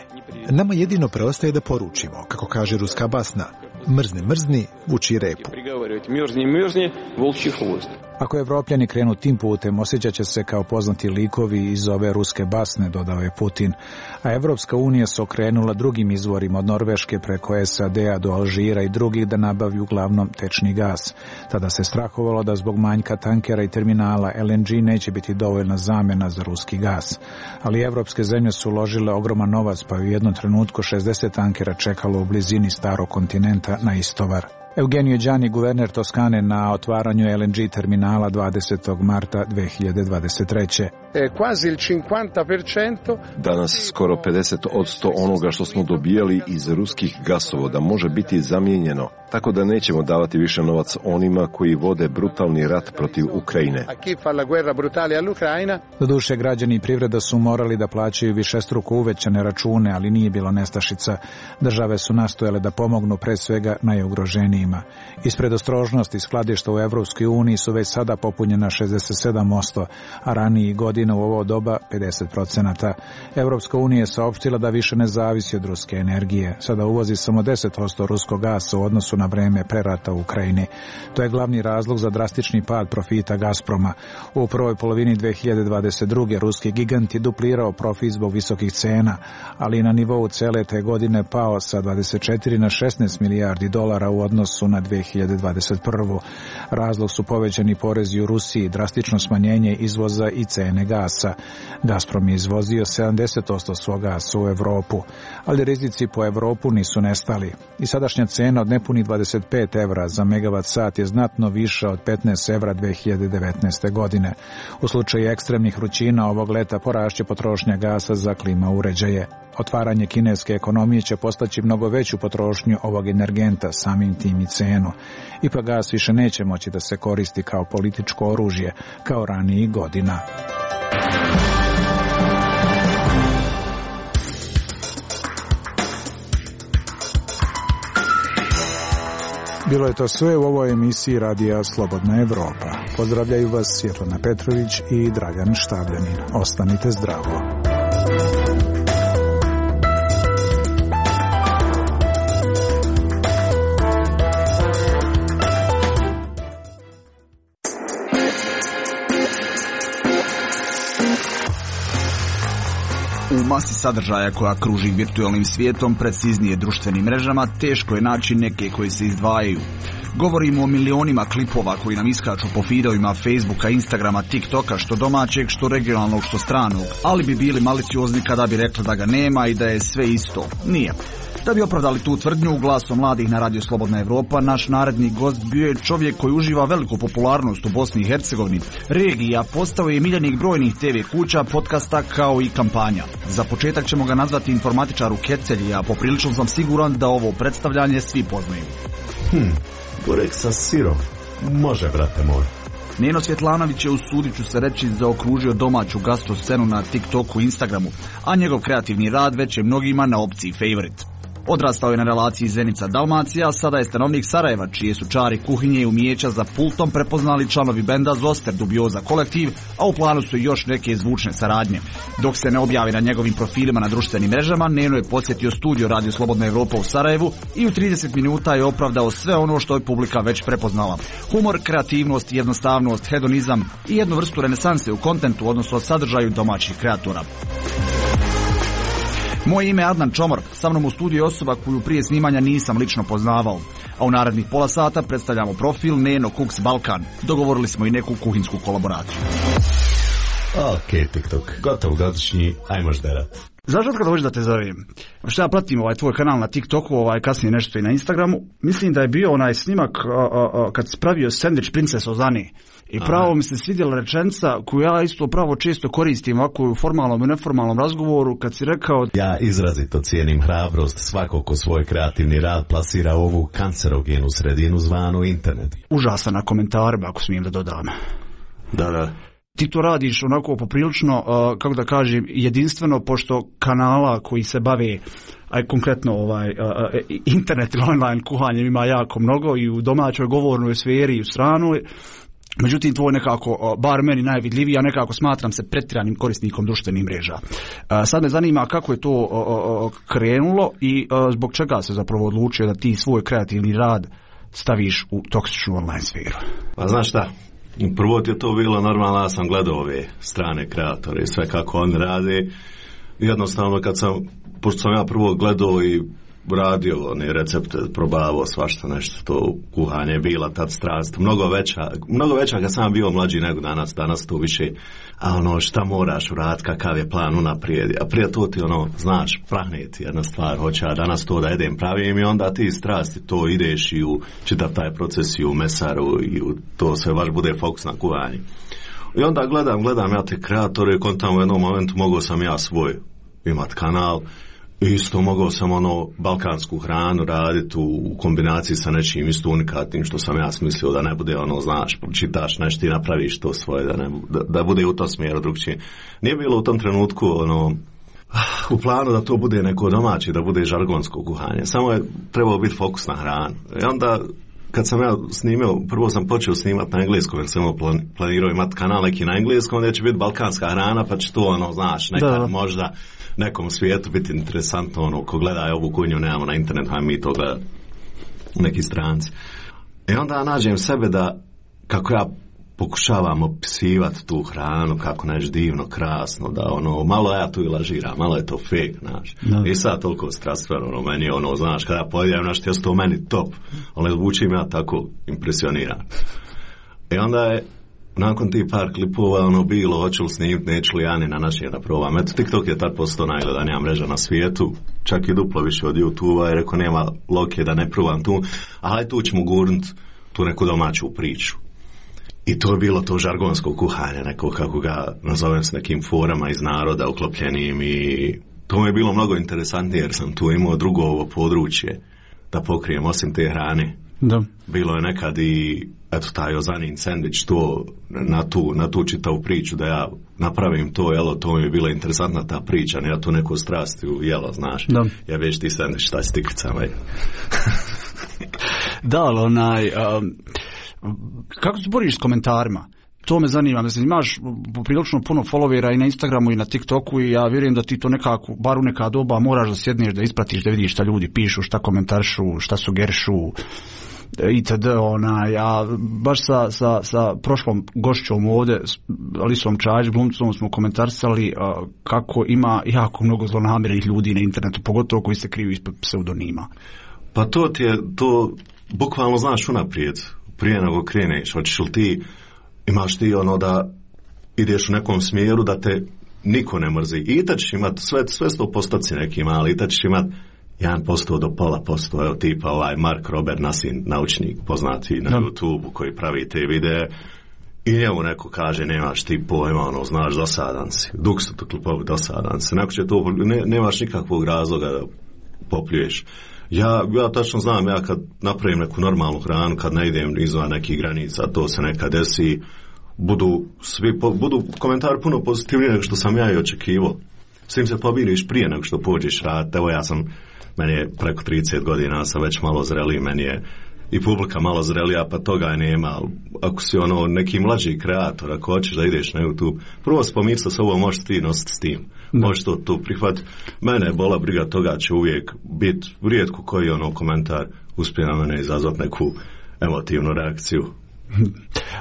Nama jedino preostaje da poručimo, kako kaže ruska basna, mrzni, mrzni, vuči repu. Mrzni, mrzni, volči hvost. Ako Evropljani krenu tim putem, osjećat će se kao poznati likovi iz ove ruske basne, dodao je Putin. A Evropska unija se okrenula drugim izvorima od Norveške preko S A D-a do Alžira i drugih da nabavlju uglavnom tečni gas. Tada se strahovalo da zbog manjka tankera i terminala L N G neće biti dovoljna zamjena za ruski gas. Ali evropske zemlje su uložile ogroman novac, pa je u jednom trenutku šezdeset tankera čekalo u blizini starog kontinenta na istovar. Eugenio Đani, guverner Toskane, na otvaranju L N G terminala dvadesetog marta dve hiljade dvadeset treće. Danas skoro pedeset posto onoga što smo dobijali iz ruskih gasovoda može biti zamijenjeno, tako da nećemo davati više novac onima koji vode brutalni rat protiv Ukrajine. Doduše, građani i privreda su morali da plaćaju višestruko uvećane račune, ali nije bilo nestašica. Države su nastojale da pomognu pre svega najugroženijima. Iz predostrožnosti skladišta u Evropskoj uniji su već sada popunjena šezdeset sedam posto, a raniji godina u ovo doba pedeset procenata. Evropska unija je saopštila da više ne zavisi od ruske energije. Sada uvozi samo deset posto ruskog gasa u odnosu na vreme prerata u Ukrajini. To je glavni razlog za drastični pad profita Gazproma. U prvoj polovini dve hiljade dvadeset druge. ruski gigant je duplirao profit zbog visokih cena, ali i na nivou cele te godine pao sa dvadeset četiri na šesnaest milijardi dolara u odnosu na dve hiljade dvadeset prvu. Razlog su povećani porezi u Rusiji, drastično smanjenje izvoza i cene gasa. Gazprom je izvozio sedamdeset posto svog gasa u Evropu, ali rizici po Evropu nisu nestali. I sadašnja cena od nepunih dvadeset pet evra za megavat sat je znatno viša od petnaest evra dve hiljade devetnaeste. godine. U slučaju ekstremnih vrućina ovog leta porašće potrošnja gasa za klima uređaje. Otvaranje kineske ekonomije će postaći mnogo veću potrošnju ovog energenta, samim tim i cenu. Ipak gas više neće moći da se koristi kao političko oružje, kao ranijih godina. Bilo je to sve u ovoj emisiji Radija Slobodna Evropa. Pozdravljaju vas Svjetlana Petrović i Dragan Štabljanin. Ostanite zdravo. U masi sadržaja koja kruži virtualnim svijetom, preciznije društvenim mrežama, teško je naći neke koji se izdvajaju. Govorimo o milionima klipova koji nam iskaču po feedovima Facebooka, Instagrama, TikToka, što domaćeg, što regionalnog, što stranog, ali bi bili maliciozni kada bi rekli da ga nema i da je sve isto. Nije. Da bi opravdali tu tvrdnju, glasom mladih na Radio Slobodna Evropa, naš naredni gost bio je čovjek koji uživa veliku popularnost u Bosni i Hercegovini, regiji, a postao je miljenik brojnih te ve kuća, podcasta kao i kampanja. Za početak ćemo ga nazvati informatičar u kecelji, a poprilično sam siguran da ovo predstavljanje svi poznaju. Hm, burek sa sirom. Može, brate moj. Neno Svjetlanović je, usudit ću se reći, zaokružio domaću gastro scenu na TikToku i Instagramu, a njegov kreativni rad već je mnogima na opciji favorite. Odrastao je na relaciji Zenica-Dalmacija, a sada je stanovnik Sarajeva, čije su čari kuhinje i umijeća za pultom prepoznali članovi benda Zoster Dubioza kolektiv, a u planu su još neke zvučne saradnje. Dok se ne objavi na njegovim profilima na društvenim mrežama, Neno je podsjetio studio Radio Slobodna Evropa u Sarajevu i u trideset minuta je opravdao sve ono što je publika već prepoznala. Humor, kreativnost, jednostavnost, hedonizam i jednu vrstu renesanse u kontentu, odnosno sadržaju domaćih kreatora. Moje ime je Adnan Čomor, sa mnom u studiju osoba koju prije snimanja nisam lično poznavao, a u narednih pola sata predstavljamo profil Neno Cooks Balkan. Dogovorili smo i neku kuhinsku kolaboraciju. Ok, TikTok, gotov godišnji, ajmo žderat. Znaš od kada hoću da te zovem? Što ja pratim ovaj tvoj kanal na TikToku, ovaj kasnije nešto i na Instagramu, mislim da je bio onaj snimak a, a, a, kad si pravio sandvič Princes Ozani. I pravo Aha. mi se svidjela rečenica koju ja isto pravo često koristim ovako u formalnom i neformalnom razgovoru, kad si rekao: ja izrazito cijenim hrabrost svakog ko svoj kreativni rad plasira u ovu kancerogenu sredinu zvanu internet. Užasan na komentarima, ako smijem da dodam. Da, da. Ti to radiš onako poprilično, uh, kako da kažem, jedinstveno, pošto kanala koji se bave, aj konkretno ovaj uh, internet ili online kuhanjem ima jako mnogo i u domaćoj govornoj sferi i u stranoj. Međutim, tvoj nekako, bar meni najvidljiviji, ja nekako smatram se pretjeranim korisnikom društvenih mreža. Sad me zanima kako je to krenulo i zbog čega se zapravo odlučio da ti svoj kreativni rad staviš u toksičnu online sferu. Pa znaš šta, prvo ti je to bilo normalno, ja sam gledao ove strane kreatore i sve kako oni rade. Jednostavno kad sam, pošto sam ja prvo gledao i radio one recepte, probavao svašta nešto, to kuhanje je bila tad strast, mnogo veća, mnogo veća kad sam bio mlađi nego danas, danas to više, a ono šta moraš uraditi, kakav je plan unaprijed, a prije to ti ono, znaš, prahneti jedna stvar, hoće ja danas to da jedem pravim i onda ti strasti to ideš i u čitav taj proces i u mesaru i u to sve baš bude fokus na kuhanje. I onda gledam, gledam ja te kreatore i kontam u jednom momentu mogao sam ja svoj imat kanal. Isto mogao sam ono balkansku hranu raditi u kombinaciji sa nečim isto unikatnim što sam ja smislio da ne bude ono, znaš, čitaš nešto i napraviš to svoje, da, ne, da, da bude u tom smjeru drugčije. Nije bilo u tom trenutku ono u planu da to bude neko domaće, da bude žargonsko kuhanje. Samo je trebao biti fokus na hranu. I onda kad sam ja snimio, prvo sam počeo snimati na engleskom jer sam planirao imati kanal neki na engleskom, onda će biti balkanska hrana pa će to ono, znaš, nekad da. možda nekom svijetu biti interesantno, ono, ko gleda ovu kuhinju, nemamo na internetu, a mi to gledati. neki stranci. I onda nađem sebe da, kako ja pokušavam opisivati tu hranu, kako nešto divno, krasno, da ono, malo ja tu i lažiram, malo je to fake, znaš. I sad toliko strastveno, ono, meni je ono, znaš, kada pojedijem nešto, ja to meni top, ali zvučim ja tako impresioniran. I onda je, nakon tih par klipova, ono, bilo, hoću li snimiti, neću li ja ni na način da probam. Eto, TikTok je tad postao najgledanija mreža na svijetu, čak i duplo više od YouTube-a, i rekao, nema logike da ne probam tu, ali tu ćemo gurnut tu neku domaću priču. I to je bilo to žargonsko kuhanje, neko kako ga nazovem s nekim forama iz naroda uklopljenim, i to mi je bilo mnogo interesantnije jer sam tu imao drugo ovo područje da pokrijem osim te hrane. Da. Bilo je nekad i eto taj ozanin sendvič, to na tu, na tu čitavu priču da ja napravim to, jelo, to mi je bila interesantna ta priča, ne ja tu neku strast u jelo, znaš. Da. Ja već ti sendvič, šta si tikricama. Da, ali onaj... Um... Kako se boriš s komentarima? To me zanima. Mislim, imaš prilično puno followera i na Instagramu i na TikToku i ja vjerujem da ti to nekako, bar u neka doba, moraš da sjedneš, da ispratiš, da vidiš šta ljudi pišu, šta komentaršu, šta sugerišu itd. Onaj, a baš sa, sa, sa prošlom gošćom ovdje, Alisom Čajić, glumcom, smo komentarsali a, kako ima jako mnogo zlonamernih ljudi na internetu, pogotovo koji se kriju ispod pseudonima. Pa to ti je, to bukvalno znaš unaprijed. Prije nego kreneš, hoćeš li ti, imaš ti ono da ideš u nekom smjeru da te niko ne mrzi. I tad ćeš imat sve, sve sto postoci neki mali, i tad ćeš imat jedan posto do pola posto, evo tipa ovaj Mark Robert Nasin, naučnik poznati na no. YouTube koji pravi te videe, i njemu neko kaže nemaš ti pojma, ono, znaš, dosadan si, dok su to klipovi, dosadan si, neko će to, ne, nemaš nikakvog razloga da popljuješ. Ja, ja tačno znam, ja kad napravim neku normalnu hranu, kad ne idem izvan nekih granica, to se nekad desi, budu svi, po, budu komentari puno pozitivniji nego što sam ja i očekivao. S tim se pobiriš prije nego što pođeš raditi. Evo ja sam, meni je preko trideset godina, sam već malo zreliji, meni je i publika malo zrelija, pa toga nema. Ako si ono neki mlađi kreator, ako hoćeš da ideš na YouTube, prvo spomir sa sobom, možeš ti nositi s tim. Da. Možeš to, to prihvatiti. Mene je bola briga, toga će uvijek biti rijetko koji ono komentar uspije na mene izazvati neku emotivnu reakciju.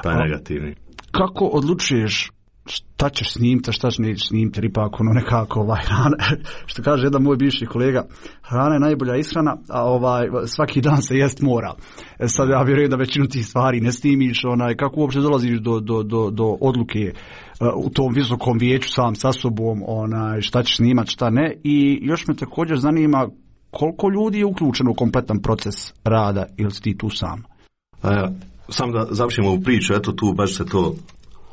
Taj negativni. Kako odlučuješ šta ćeš snimiti, šta ćeš nećeš snimiti, jer ipak ono nekako ovaj, hrana, što kaže jedan moj bivši kolega, hrana je najbolja ishrana, a ovaj, svaki dan se jest mora. E sad ja vjerujem da većinu tih stvari ne snimiš, onaj, kako uopće dolaziš do, do, do, do odluke uh, u tom visokom vijeću sam sa sobom, onaj, šta ćeš snimati, šta ne, i još me također zanima koliko ljudi je uključeno u kompletan proces rada, ili si ti tu sam? A, sam da završimo ovu priču, eto tu baš se to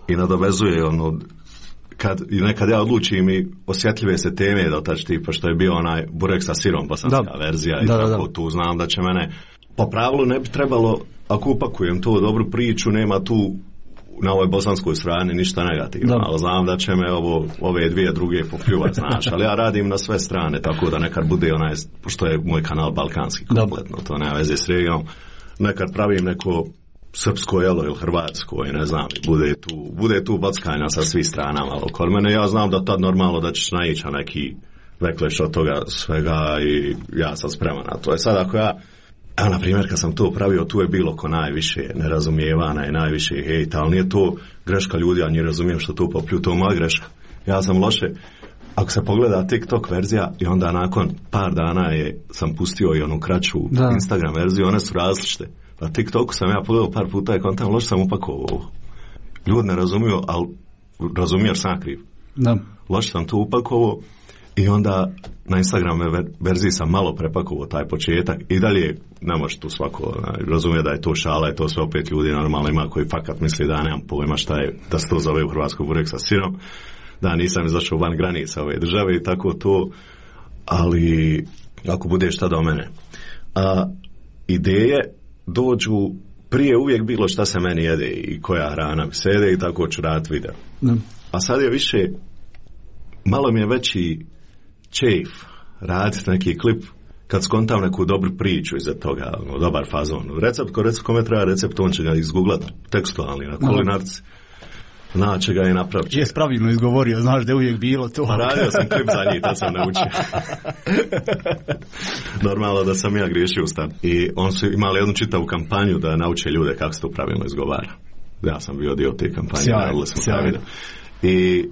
i nadovezuje, ono, kad i nekad ja odlučim i osjetljive se teme da otač tipa što je bio onaj burek sa sirom, bosanska da. verzija, i da, tako da, da. Tu znam da će mene, po pravilu ne bi trebalo, ako upakujem tu dobru priču, nema tu na ovoj bosanskoj strani ništa negativno, da. Ali znam da će me ovo, ove dvije druge popljuvati, znaš, ali ja radim na sve strane, tako da nekad bude onaj, pošto je moj kanal balkanski kompletno, to nema veze s regijom, nekad pravim neko srpsko jelo ili hrvatsko i ne znam, bude tu, bude tu backanja sa svih strana malo kod mene. Ja znam da tad normalno da ćeš naići na neki vekleš od toga svega i ja sam spreman na to. Je sad ako ja, evo na primjer kad sam to pravio, tu je bilo ko najviše nerazumijevana i najviše hejta, ali nije to greška ljudi, ja ne razumijem što tu poplju, to moja greška. Ja sam loše, ako se pogleda TikTok verzija i onda nakon par dana je, sam pustio i onu kraću da. Instagram verziju, one su različite. Na TikToku sam ja pogledao par puta i kontam, loše sam upakovao ovo. Ljudi ne razumiju, ali razumiju jer sam kriv. Da. Loše sam to upakovao i onda na Instagram verziji sam malo prepakovao taj početak i dalje ne može tu svako razumije da je to šala i to sve opet ljudi normalno ima koji fakat misli da nemam pojma šta je, da se to zove u Hrvatskoj burek sa sirom, da nisam izašao van granica ove države i tako to, ali ako bude šta do mene. A, ideje dođu prije uvijek bilo šta se meni jede i koja hrana mi se jede i tako ću raditi video. Ne. A sad je više, malo mi je veći čejf raditi neki klip kad skontam neku dobru priču iza toga, no, dobar fazon. Recept, ko recept, kome treba recept, on će ga izgooglat tekstualni na kulinarci. Naće ga i napravit će. Jes pravilno izgovorio, znaš da je uvijek bilo to. Pa radio sam klip za njih, tad sam naučio. Normalno da sam ja griješio u stan. I on su imali jednu čitavu kampanju da nauče ljude kako se to pravilno izgovara. Ja sam bio dio te kampanje. Sjajno, sjajno. I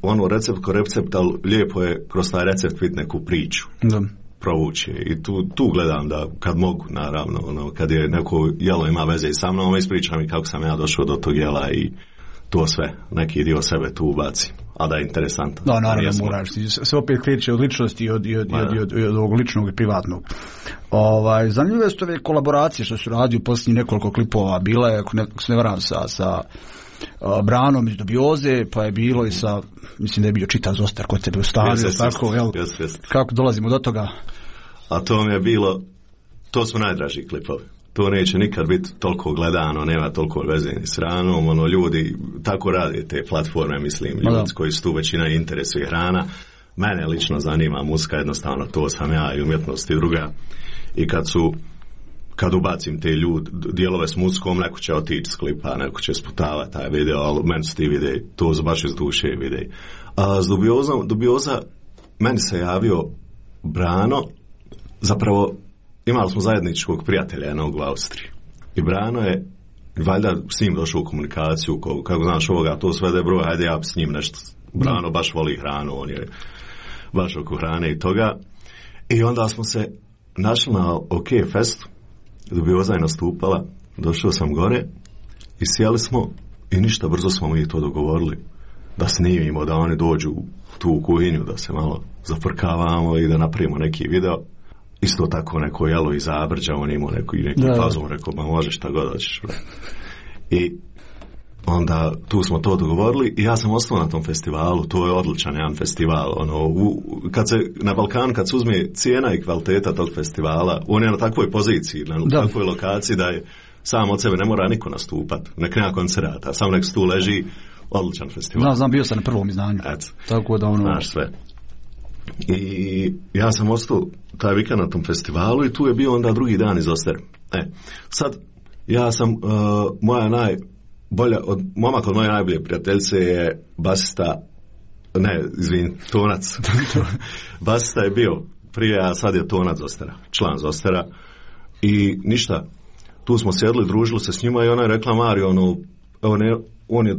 ono recept ko recept, ali lijepo je kroz taj recept vidjeti neku priču. Da. Provući. I tu, tu gledam da kad mogu, naravno, ono, kad je neko jelo ima veze i sa mnom, ispričam i kako sam ja došao do tog jela i to sve, neki dio sebe tu ubaci, a da je interesantno. Da, naravno moraš, sve opet kreće od ličnosti i od, i od, i od, i od, i od ovog ličnog i privatnog. Ovaj, zanimljive su ove kolaboracije što su radio posljednjih nekoliko klipova, bila je, ako ne, ako se ne varam, sa, sa uh, Branom iz Dubioze, pa je bilo i sa, mislim da je bio Čita Zostar kod tebe u stanu, tako, jel? Jest, jest. Kako dolazimo do toga? A to mi je bilo, to su najdraži klipovi. To neće nikad biti toliko gledano, nema toliko veze ni s hranom, ono, ljudi tako rade te platforme, mislim, ljudi koji su tu većina interesuje hrana. Mene lično zanima muzika, jednostavno to sam ja i umjetnost i druga. I kad su, kad ubacim te ljudi, dijelove s muzikom, neko će otići s klipa, neko će sputavati taj video, ali meni su ti videi, to su baš iz duše videi. A s Dubiozom, Dubioza, meni se javio Brano, zapravo imali smo zajedničkog prijatelja jednog u Austriji. I Brano je, valjda s njim došao u komunikaciju, ko, kako znaš ovoga, to sve da je broj, hajde ja s njim nešto. Brano baš voli hranu, on je baš oko hrane i toga. I onda smo se našli na OK Festu, Dubioza je nastupala, došao sam gore i sjeli smo i ništa, brzo smo mi to dogovorili. Da snimimo, da oni dođu tu u kuhinju, da se malo zafrkavamo i da napravimo neki video. Isto tako neko jelo iz Zabrđa, on imao neki, neki fazon, rekao, ma može šta god hoćeš. I onda tu smo to dogovorili i ja sam ostao na tom festivalu, to je odličan jedan festival. Ono, u, kad se, na Balkanu, kad se uzme cijena i kvaliteta tog festivala, on je na takvoj poziciji, na da. takvoj lokaciji da je sam od sebe ne mora niko nastupat, nek nema koncerata, samo nek tu leži, odličan festival. Znam, znam, bio sam na prvom izdanju. Et. Tako da ono... Znaš sve. I ja sam ostao taj vikend na tom festivalu i tu je bio onda drugi dan iz Ostere. E, sad, ja sam, uh, moja najbolja, od, momak od moje najbolje prijateljice je basista, ne, izvin, Tonac. Basista je bio prije, a sad je Tonac Zostera, član Zostera. I ništa, tu smo sjedli, družili se s njima i ona je rekla, Mario, ono, on je, on je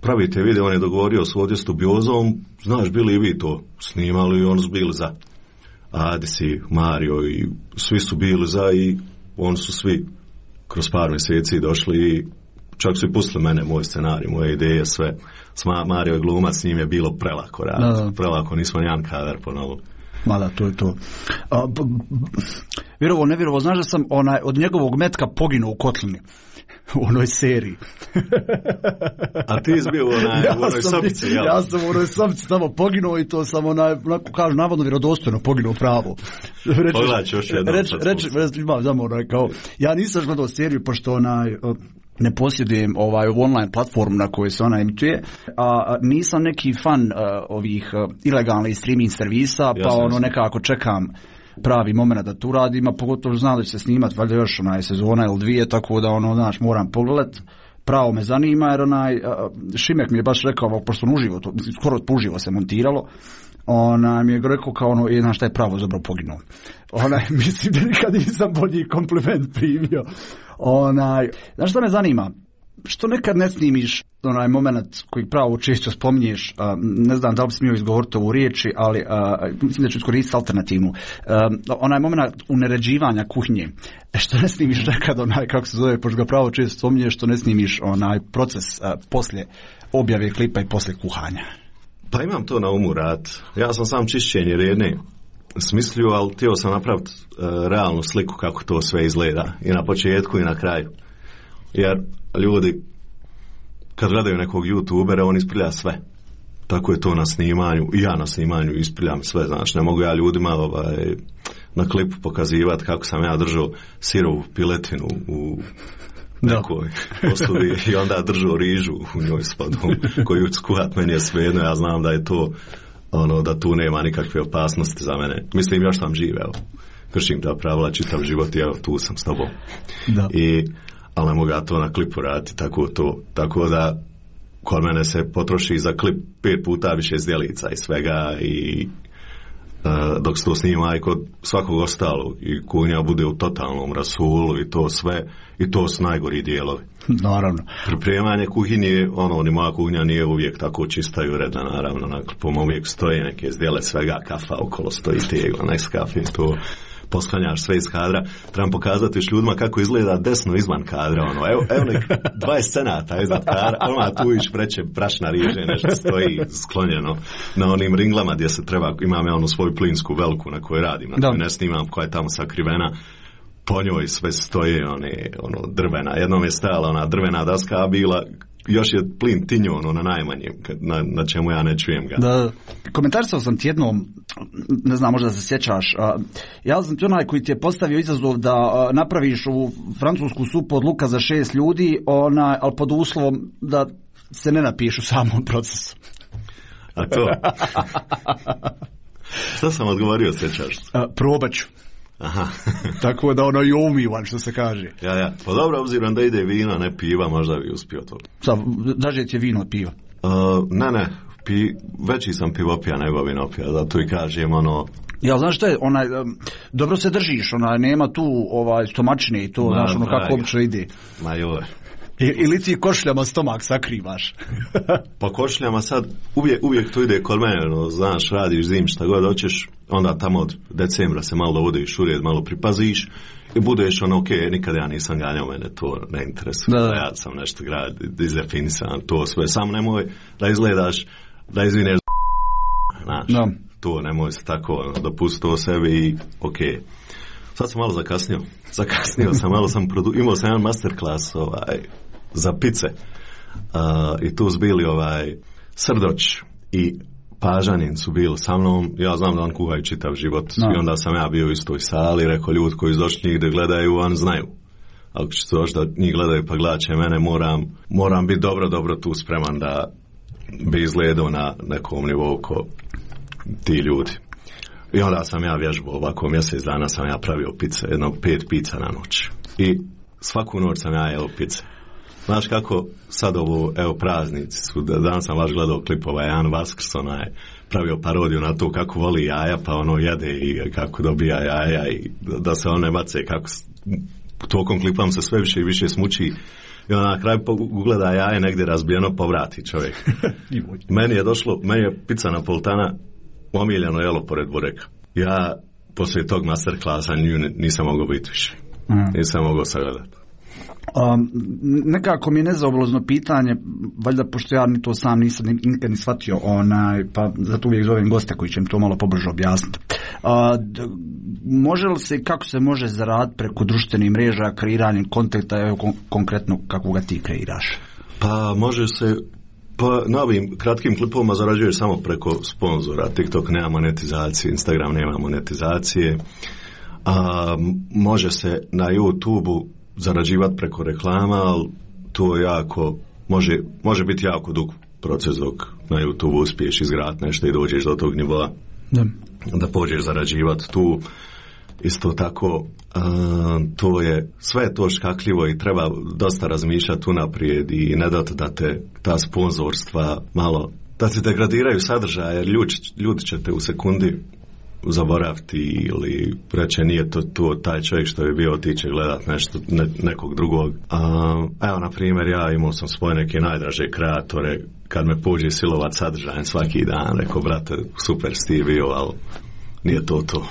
pravite video, on je dogovorio s ovdje s Dubiozom, znaš, bili i vi to snimali i oni su bili za. Adisi, Mario i svi su bili za i oni su svi kroz par mjeseci došli i čak su i pustili mene, moj scenarij, moje ideje, sve. S Mario je glumac, s njim je bilo prelako raditi, prelako, nismo nijedan kadar po novom. Ma da, to je to. A, b, b, vjerovo, ne vjerovo, znaš da sam onaj, od njegovog metka poginuo u kotlini. U onoj seriji. A ti izbio u onaj, ja u onoj sobici, jel? Ja sam u onoj sobici tamo poginuo i to sam onaj, onako kažu, navodno vjerodostojno poginuo pravo. Pogledaj ću još jednom. Reći, reći, imam znam onaj, kao, ja nisam gledao seriju, pošto onaj, ne posjedujem ovaj online platformu na kojoj se ona emituje, a nisam neki fan uh, ovih uh, ilegalnih streaming servisa, pa jasne, ono nekako čekam pravi moment da tu radim, a pogotovo znam da će se snimati valjda još onaj sezona ili dvije, tako da ono, znaš, moram pogledat. Pravo me zanima, jer onaj, Šimek mi je baš rekao, pošto on uživo, to, skoro uživo se montiralo, onaj mi je rekao kao ono, je, znaš šta je pravo zapravo poginuo. Onaj, mislim da nikad nisam bolji kompliment primio. Onaj, znaš šta me zanima? Što nekad ne snimiš onaj moment koji pravo često spominješ, uh, ne znam da li bi smio izgovoriti ovu riječi, ali uh, mislim da ću iskoristiti alternativnu. Uh, onaj moment uneređivanja kuhinje. Što ne snimiš nekad onaj, kako se zove, pošto ga pravo često spominješ, što ne snimiš onaj proces uh, poslije objave klipa i poslije kuhanja. Pa imam to na umu rad. Ja sam sam čišćenje redne smislio, ali htio sam napraviti uh, realnu sliku kako to sve izgleda. I na početku i na kraju. Jer ljudi kad gledaju nekog youtubera, on isprlja sve. Tako je to na snimanju. I ja na snimanju isprljam sve. Znači, ne mogu ja ljudima ovaj, na klipu pokazivati kako sam ja držao sirovu piletinu u nekoj posudi i onda držao rižu u njoj s vodom koju skuhat, meni je svejedno. Ja znam da je to ono, da tu nema nikakve opasnosti za mene. Mislim, još sam živ, evo. Kršim ta pravila, čitav život i evo, tu sam s tobom. Da. I ali ne mogu ja to na klipu raditi, tako to. Tako da kod mene se potroši za klip pet puta više zdjelica i svega i uh, dok se to snima i kod svakog ostalog i kunja bude u totalnom rasulu i to sve i to su najgori dijelovi. Naravno. Pripremanje kuhinje, ono, ni moja kuhinja nije uvijek tako čista i uredna, naravno, na klipom uvijek stoje neke zdjele svega, kafa okolo stoji tegla, nek kafe, to posklanjaš sve iz kadra. Trebam pokazati još ljudima kako izgleda desno izvan kadra, ono, evo, evo nek dvadeset cenata iznad kadra, ono, tu iš preće brašna riže, nešto stoji sklonjeno na onim ringlama gdje se treba, imam ja onu svoju plinsku veliku na kojoj radim, na kojoj ne snimam, koja je tamo sakrivena, po njoj sve stoje one, ono, drvena, jednom je stajala ona drvena daska, a bila još je plin tinju ono na najmanjem, na, na čemu ja ne čujem ga. Da, komentarisao sam ti jednom, ne znam, možda se sjećaš, a, ja sam ti onaj koji ti je postavio izazov da a, napraviš u francusku supu od luka za šest ljudi, onaj, ali pod uslovom da se ne napišu u samom procesu. A to? Šta sam odgovorio, sjećaš? A, probat ću. Aha. Tako da ono i umivan, što se kaže. Ja, ja. Pa dobro, obzirom da ide vino, ne piva, možda bi uspio to. Sad, daže ti je vino od piva? Uh, ne, ne. Pi, veći sam pivopija nego vinopija, zato i kažem ono... Ja, znaš što je, onaj, um, dobro se držiš, onaj, nema tu ovaj, stomačine i to, ma, znaš, ono kako obično ide. Ma joj. I, ili ti košljama stomak sakrivaš? Pa košljama sad, uvijek, uvijek to ide kod mene, no, znaš, radiš zim, šta god hoćeš, onda tamo od decembra se malo dovodiš u red, malo pripaziš i budeš ono, ok, nikad ja nisam ganjao, mene to ne interesuje, da, da. Ja sam nešto grad, izdefinisan, to sve, samo nemoj da izgledaš, da izvineš, znaš, da. To nemoj se tako, dopusti to sebi i ok. Sad sam malo zakasnio, zakasnio sam, malo sam, produ... imao sam jedan masterclass ovaj, za pice uh, i tu su bili ovaj, Srdoć i Pažanin su bili sa mnom, ja znam da on kuhaju čitav život no. I onda sam ja bio u istoj sali, rekao ljudi koji su došli njih da gledaju, on znaju. Ako će to da njih gledaju pa gledat će mene, moram, moram biti dobro, dobro tu spreman da bi izgledao na nekom nivou ko ti ljudi. I onda sam ja vježbao, ovako mjesec dana sam ja pravio pice, jedno pet pica na noć. I svaku noć sam ja jeo pice. Znaš kako sad ovo, evo praznici su, danas sam baš gledao klipova, Jan Vaskrs, onaj, pravio parodiju na to kako voli jaja, pa ono jede i kako dobija jaja i da se one bace, kako tokom klipam se sve više i više smuči. I onda na kraju ugleda jaje negdje razbijeno, povrati čovjek. Meni je došlo, meni je pica napolitana omiljeno jelo pored bureka. Ja poslije tog masterklasa nisam mogao biti više. Mm. Nisam mogao sagledati. Um, nekako mi je nezaobilazno pitanje, valjda pošto ja ni to sam nisam nikad ni shvatio, onaj, pa zato uvijek zovem goste koji će mi to malo pobliže objasniti. Uh, može li se, kako se može zaraditi preko društvenih mreža, kreiranjem konteksta, evo kon- konkretno kako ga ti kreiraš? Pa može se, pa na ovim kratkim klipovima zarađuješ samo preko sponzora. TikTok nema monetizacije, Instagram nema monetizacije. A, može se na YouTube-u zarađivati preko reklama, ali to jako, može, može biti jako dug proces dok na YouTube uspiješ izgraditi nešto i dođeš do tog nivoa da, da pođeš zarađivati tu. Isto tako, a, to je sve to škakljivo i treba dosta razmišljati unaprijed i ne dati da te ta sponzorstva malo, da te degradiraju sadržaje, jer ljudi, ljudi će te u sekundi zaboraviti ili reći nije to, to taj čovjek što je bio otiće gledat nešto, ne, nekog drugog. A, evo, na primjer, ja imao sam svoje neke najdraže kreatore, kad me pođe silovat sadržajem svaki dan, rekao, brate, super si ti bio, ali nije to to.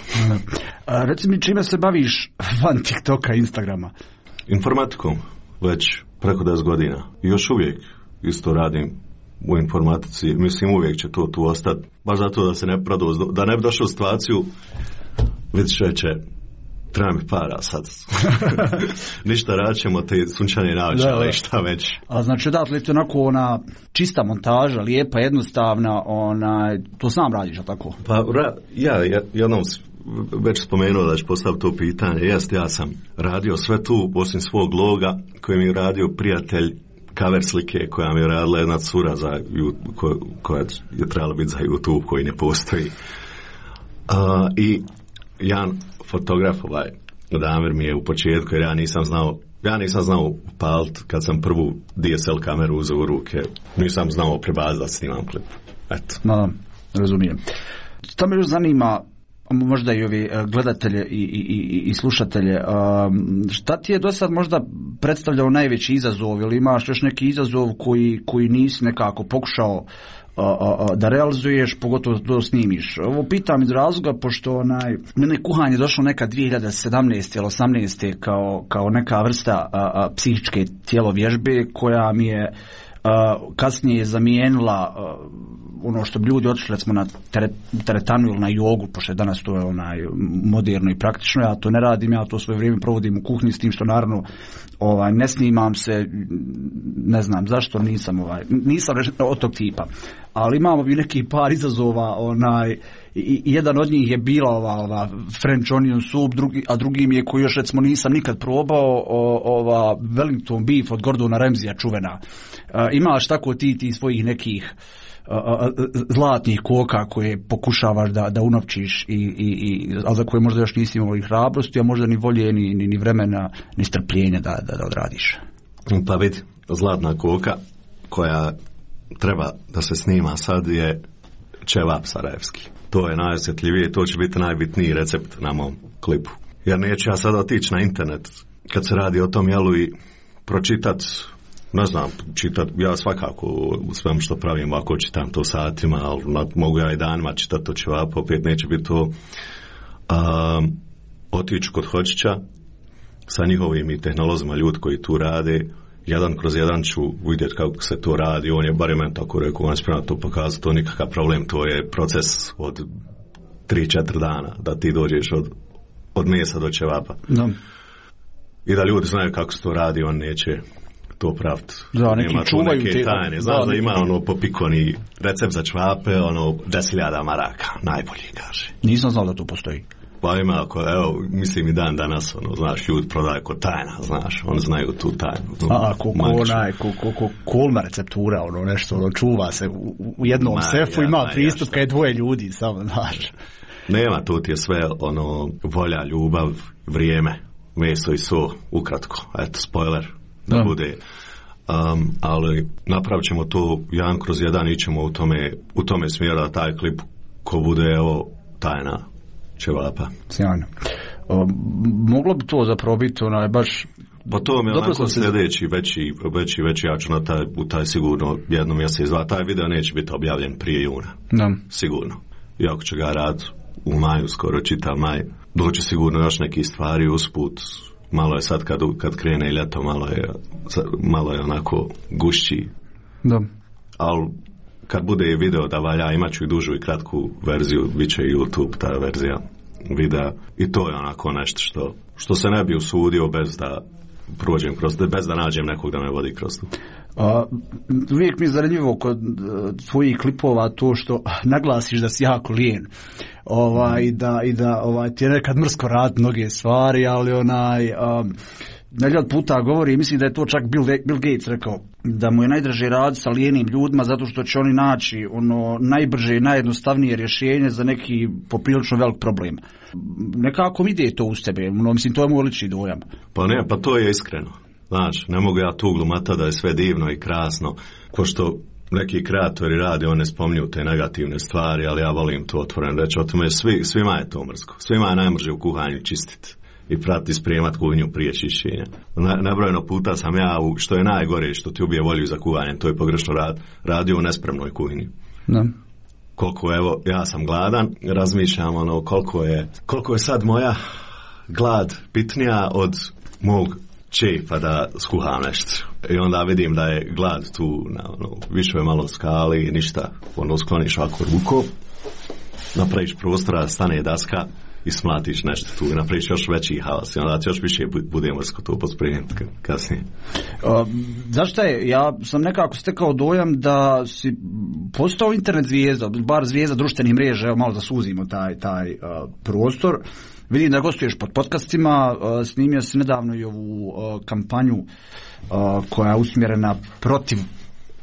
A, reci mi, čime se baviš van TikToka i Instagrama? Informatikom, već preko deset godina. I još uvijek isto radim u informatici, mislim uvijek će to tu ostati, baš zato da se ne prodoz, da ne bi došao u situaciju, vidiš reće, treba mi para sad. Ništa raćemo te sunčane naoče, ali šta već. A znači odatle je to onako ona čista montaža, lijepa, jednostavna, ona, to sam radiš, a tako? Pa ra, ja, ja jednom već spomenuo da ću postaviti to pitanje, jest, ja sam radio sve tu, osim svog loga, koji mi je radio prijatelj cover slike koja mi je radila jedna cura za, ko, koja je trebala biti za YouTube koji ne postoji. Uh, I jedan fotograf, ovaj, Damir mi je u početku, jer ja nisam znao ja nisam znao upaliti kad sam prvu D S L kameru uzeo u ruke, nisam znao prebaziti da snimam klip. Eto. No, razumijem. To me još zanima, možda i ovi gledatelje i, i, i slušatelje, šta ti je do sad možda predstavljao najveći izazov, ili imaš još neki izazov koji, koji nisi nekako pokušao da realizuješ, pogotovo da snimiš? Ovo pitam iz razloga pošto onaj, mene kuhanje došlo neka dvije hiljade sedamnaeste ili osamnaeste kao, kao neka vrsta a, a, psihičke tjelovježbe koja mi je a, kasnije zamijenila a, ono što bi ljudi otišli recimo na teretanu ili na jogu, pošto je danas to je onaj moderno i praktično, ja to ne radim, ja to svoje vrijeme provodim u kuhinji, s tim što naravno ovaj, ne snimam se, ne znam zašto, nisam ovaj, nisam od tog tipa, ali imamo bi neki par izazova, onaj, i, jedan od njih je bila ova, ova French onion soup, drugi, a drugi mi je koji još recimo nisam nikad probao, o, ova Wellington beef od Gordona Ramsaya čuvena. E, imaš tako ti, ti svojih nekih zlatnih koka koje pokušavaš da, da unovčiš, i, i, i, ali za koje možda još nisi imao i hrabrosti, a možda ni volje, ni, ni, ni vremena, ni strpljenja da, da, da odradiš. Pa vidi, zlatna koka koja treba da se snima sad je ćevap sarajevski. To je najosjetljivije, to će biti najbitniji recept na mom klipu. Jer neću ja sad otići na internet kad se radi o tom jelu i pročitat, ne znam, čitat, ja svakako u svem što pravim ovako čitam to satima, ali mogu ja i danima čitati to ćevap, opet neće biti to. Um, otići kod Hočića sa njihovim i tehnolozima, ljudi koji tu rade, jedan kroz jedan ću vidjeti kako se to radi, on je barem meni tako rekao, on je spreman to pokazati, to nikakav problem, to je proces od tri četiri dana da ti dođeš od, od mesa do ćevapa. No. I da ljudi znaju kako se to radi, on neće to praviti. Da, neki nema čuvaju neke te tajne. Znaš da, da ima ono popikoni recept za ćevape, ono deset hiljada maraka, najbolji kaže. Nisam znao da to postoji. Pa ima, ako, evo, mislim i dan danas, ono, znaš, ljudi prodaju ko tajna, znaš, oni znaju tu tajnu. No, a, ko, ko onaj, ko, ko, ko kolma receptura, ono, nešto, ono, čuva se u, u jednom ma, sefu, ja, ima pristup kad je dvoje ljudi, samo, znaš. Nema, tu ti je sve, ono, volja, ljubav, vrijeme, meso i so, ukratko, eto, spoiler, da no. bude. Um, ali napravit ćemo to jedan kroz jedan, ićemo u tome, u tome smjeru da taj klip ko bude, evo, tajna ćevapa. Sjajno. O, moglo bi to zapravo biti onaj baš... Pa to mi je onako sljedeći veći, veći, veći, ja ću na taj, u taj sigurno jednom mjesec dva, taj video neće biti objavljen prije juna. Da. Sigurno. Iako će ga rad u maju, skoro čitav maj, doći sigurno još neki stvari usput. Malo je sad kad, kad krene ljeto, malo je, malo je onako gušći. Da. Ali kad bude i video da valja, imat ću i dužu i kratku verziju, bit će i YouTube ta verzija videa, i to je onako nešto što, što se ne bi usudio bez da prođem kroz, bez da nađem nekog da me vodi kroz to. A, uvijek mi je zanimljivo kod tvojih klipova to što naglasiš da si jako lijen, ovaj, mm. da, i da ovaj, ti je nekad mrsko rad mnoge stvari, ali onaj um, neljad puta govori, mislim da je to čak Bill, Bill Gates rekao, da mu je najdraže raditi sa lijenim ljudima zato što će oni naći ono najbrže i najjednostavnije rješenje za neki poprilično velik problem. Nekako mi ide to uz tebe, no, mislim, to je moj lični dojam. Pa ne, pa to je iskreno. Znaš, ne mogu ja tu glumata da je sve divno i krasno, ko što neki kreatori rade, one spominju te negativne stvari, ali ja volim to otvoreno reći, o tome svi, svima je to mrsko. Svima je najmrže u kuhanju čistiti i prati sprijemat kuhinju prije čišćenja. Nebrojeno puta sam ja, u, što je najgore, što ti ubije volju za kuhanjem, to je pogrešno rad, radio u nespremnoj kuhinji. Da. Koliko, evo, ja sam gladan, razmišljam ono, koliko je, koliko je sad moja glad bitnija od mog čepa da skuham nešto. I onda vidim da je glad tu na ono, više je malo skali, ništa, ono skloniš ovako rukom, napraviš prostora, stane daska i smlatiš nešto tu i napraviš još veći haos i onda ti još više bude mrsko to pospremiti kasnije. Uh, zašto je? Ja sam nekako stekao dojam da si postao internet zvijezda, bar zvijezda društvenih mreža, evo malo da suzimo taj, taj uh, prostor. Vidim da gostuješ pod podcastima, uh, snimio si nedavno i ovu uh, kampanju uh, koja je usmjerena protiv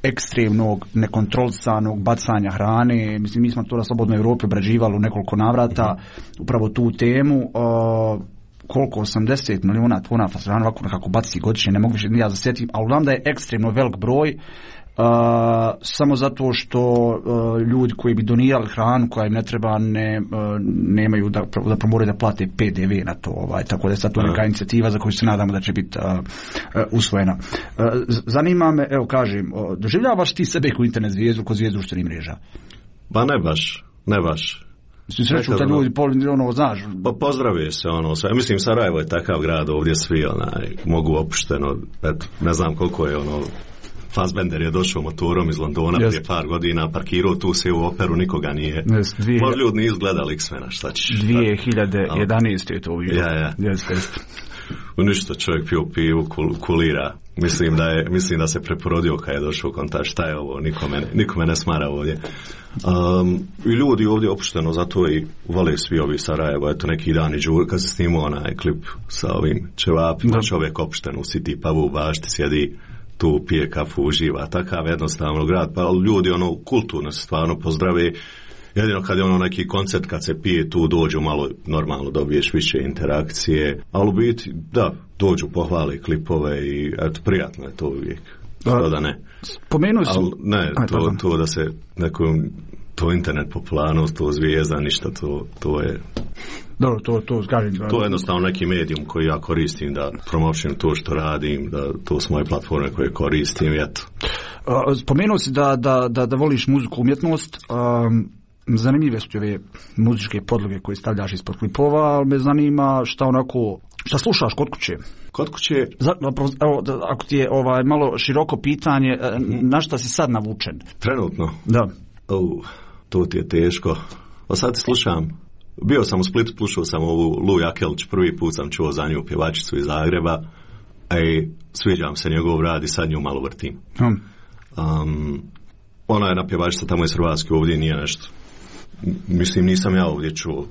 ekstremnog, nekontrolisanog bacanja hrane. Mislim, mi smo to na Slobodnoj Evropi obrađivali u nekoliko navrata, upravo tu temu. Uh, koliko, osamdeset miliona tona fazana ovako nekako baci godišnje, ne mogu više ni ja zasjetim, ali znam da je ekstremno velik broj, Uh, samo zato što uh, ljudi koji bi donirali hranu koja im ne treba ne, uh, nemaju da, da moraju da plate P D V na to, ovaj, tako da je sad to neka inicijativa za koju se nadamo da će biti uh, uh, usvojena. Uh, zanima me, evo kažem, uh, doživljavaš ti sebe kao internet zvijezdu, kao zvijezdu društvenih mreža? Ba ne baš, ne baš. Svi sreću te ljudi, pol, ono, znaš. Pa pozdravuje se ono sve. Mislim, Sarajevo je takav grad, ovdje svi onaj, mogu opušteno, eto, ne znam koliko je ono, Fassbender je došao motorom iz Londona yes. prije par godina, parkirao tu se u operu, nikoga nije. Yes, dvije... Možda ljudi nisu gledali X-mena, šta ćeš? dvije hiljade jedanaeste je to bio. Ja, ja. Yes, yes. U ništa čovjek pio pivu, kul, kulira. Mislim da, je, mislim da se preporodio kad je došao u kontakt, šta je ovo, nikome, nikome ne smara ovdje. Um, I ljudi ovdje opušteno, zato i vole svi ovi Sarajevo, eto neki dan i džur, kad se snimao onaj klip sa ovim Čevapima, da. Čovjek opušteno u City pubu u bašti sjedi, tu pije kafu, uživa, takav jednostavno grad, pa ljudi ono kulturno se stvarno pozdrave, jedino kad je ono neki koncert, kad se pije tu dođu malo, normalno dobiješ više interakcije, ali u biti, da, dođu, pohvale klipove i eto, prijatno je to uvijek, što da ne. Spomenuo si... Ali ne, to, to da se nekom, to internet popularnost, to zvijezda, ništa, to, to je... Dobro, to, to, kažem, to je jednostavno neki medijum koji ja koristim da promovišem to što radim, da to su moje platforme koje koristim, eto. Spomenuo si da, da, da, da voliš muziku, umjetnost, um, zanimljive su ove muzičke podloge koje stavljaš ispod klipova, ali me zanima šta onako, šta slušaš kod kuće? Kod kuće? Zapravo, evo, da, ako ti je ovaj, malo široko pitanje, na šta si sad navučen? Trenutno? Da. Uh, to ti je teško. Pa sad slušam. Bio sam u Splitu, slušao sam ovu Lu Jakelić, prvi put sam čuo za nju pjevačicu iz Zagreba, a i sviđam se njegov rad i sad nju malo vrtim. Hmm. Um, ona je na pjevačica tamo iz Hrvatske, ovdje nije nešto. Mislim, nisam ja ovdje čuo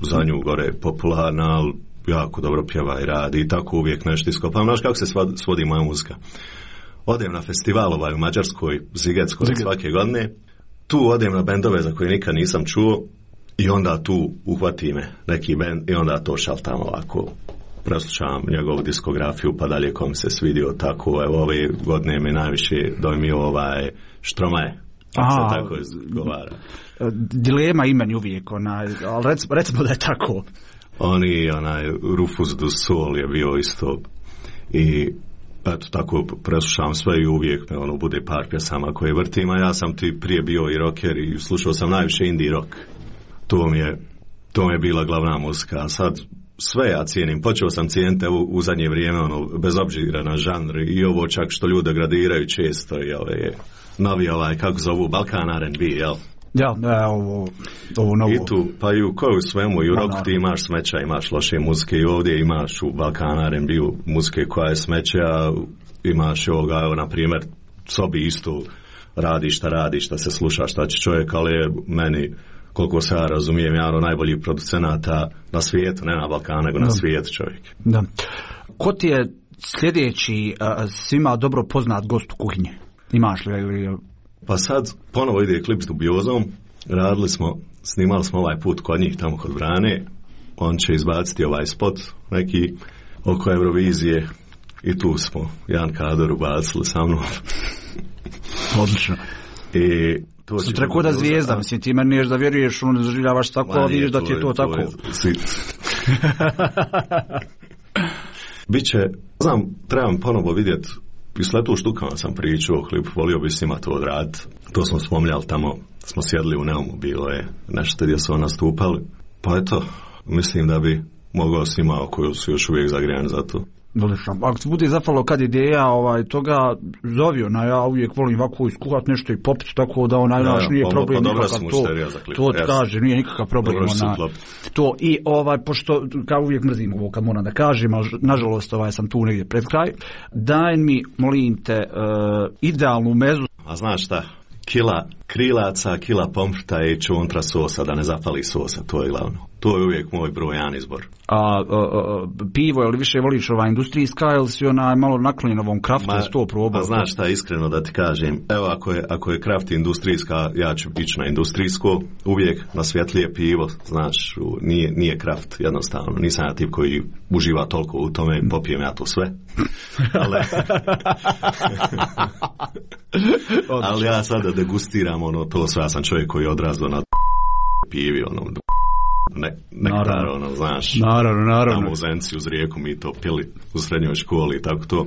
za nju gore popularna, ali jako dobro pjeva i radi i tako uvijek nešto iskopam. Znaš kako se svodi moja muzika? Odem na festival ovaj u Mađarskoj, Zigetskoj, Ziget. svake godine. Tu odem na bendove za koje nikad nisam čuo, i onda tu uhvati me neki band i onda to šaltam ovako, preslušavam njegovu diskografiju pa dalje kom se svidio, tako evo ove godine me najviše dojmio ovaj Štromaje, Aha, se tako izgovara. Dilema imeni uvijek, onaj, ali recimo, recimo da je tako. Oni, onaj Rufus du Sol je bio isto i eto tako preslušavam sve i uvijek me ono bude par pjesama koje vrtim, a ja sam ti prije bio i rocker i slušao sam najviše indie rock. To mi je, to mi je bila glavna muzika, a sad sve ja cijenim, počeo sam cijeniti u, u zadnje vrijeme, ono, bez obzira na žanr i ovo čak što ljude gradiraju često i ove, novi ovaj, kako zovu, Balkan R and B, jel? Ja, ne, ovo, ovo novo. I tu, pa i u koju svemu, i u roku ti imaš smeća, imaš loše muzike i ovdje imaš u Balkan R and B-u muzike koja je smeća, imaš ovoga, evo, na primjer, sobi isto radi šta radi, šta se sluša, šta će čovjek, ali je meni, koliko se ja razumijem, jedan od najboljih producenata na svijetu, ne na Balkanu, nego na svijetu čovjek. Da. Ko ti je sljedeći a, svima dobro poznat gost u kuhinji? Imaš li? Pa sad ponovo ide klip s Dubiozom, radili smo, snimali smo ovaj put kod njih tamo kod Brane, on će izbaciti ovaj spot neki oko Eurovizije i tu smo jedan kadar ubacili sa mnom. Odlično. I to sam rekao da zvijezda, mislim, ti meni niješ da vjeruješ, ono ne zaživljavaš tako, a vidiš da ti je to, to tako. Je, Biće, znam, trebam ponovo vidjeti, i s letu štukama sam pričao, klip, volio bi s njima to odraditi. To smo spominjali tamo, smo sjedli u Neumu, bilo je nešto gdje su nastupali. Pa eto, mislim da bi mogao s njima koji su još uvijek zagrijani za to. Ako se bude zapalo kad ideja ovaj, toga, zovi ona, ja uvijek volim ovako iskuhat nešto i popiti, tako da onaj naš ja, nije pa, problem pa, nikakav to, to ti kaže, nije nikakav problem ona, to i ovaj, pošto kao uvijek mrzim ovo kad moram da kažem, ali nažalost ovaj, sam tu negdje pred kraj, daj mi, molim te, uh, idealnu mezu. A znaš šta? Kila krilaca, kila pomfrta i čuntra sosa, da ne zapali sosa, to je glavno. To je uvijek moj broj jedan izbor. A, a, a pivo, ili više voliš ova industrijska, ili si ona malo naklonjen ovom kraftu, je sto probao? Pa znaš šta, iskreno da ti kažem, evo ako je, ako je kraft industrijska, ja ću ići na industrijsko, uvijek na svjetlije pivo, znaš, nije, nije kraft, jednostavno, nisam ja tip koji uživa toliko u tome, popijem ja to sve. Ali, ali ja sada degustiram ono, to sve, ja sam čovjek koji je odrastao na pivi, ono, Ne, nektar, ono, znaš, naravno, naravno. Tamo u Zenci uz rijeku mi to pili u srednjoj školi i tako to.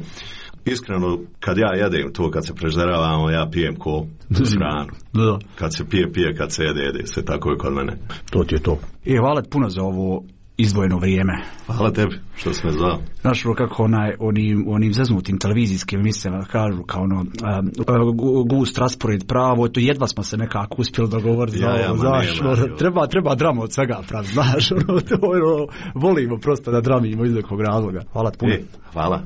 Iskreno, kad ja jedem to, kad se prežderavamo, ja pijem ko uz hranu. Da. Kad se pije, pije, kad se jede, jede. Sve tako je kod mene. To ti je to. E, hvala puno za ovo izdvojeno vrijeme. Hvala tebi što si me zvao. Znaš, kako onaj, onim, onim zeznutim televizijskim emisijama kažu kao ono, um, gust, raspored, pravo, to jedva smo se nekako uspjeli dogovoriti. Ja, ja, znaš, nema, ono, treba, treba drama od svega, prav, znaš, ono, to, ono, volimo prosto da dramimo iz nekog razloga. Hvala puno. E, hvala.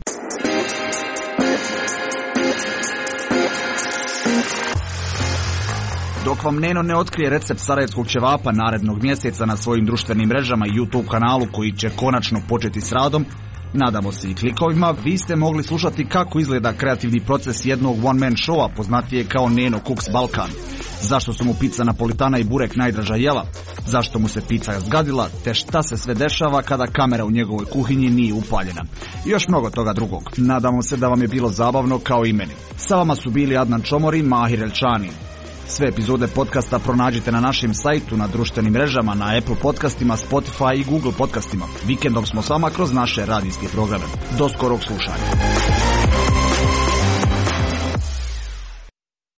Dok vam Neno ne otkrije recept sarajevskog ćevapa narednog mjeseca na svojim društvenim mrežama i YouTube kanalu koji će konačno početi s radom, nadamo se i klikovima, vi ste mogli slušati kako izgleda kreativni proces jednog one-man showa poznatije kao Neno Cooks Balkan. Zašto su mu pizza napolitana i burek najdraža jela, zašto mu se pizza zgadila, te šta se sve dešava kada kamera u njegovoj kuhinji nije upaljena. I još mnogo toga drugog. Nadamo se da vam je bilo zabavno kao i meni. Sa vama su bili Adnan Čomor i Mahir Elčani. Sve epizode podcasta pronađite na našem sajtu, na društvenim mrežama, na Apple podcastima, Spotify i Google podcastima. Vikendom smo s vama kroz naše radijske programe. Do skorog slušanja.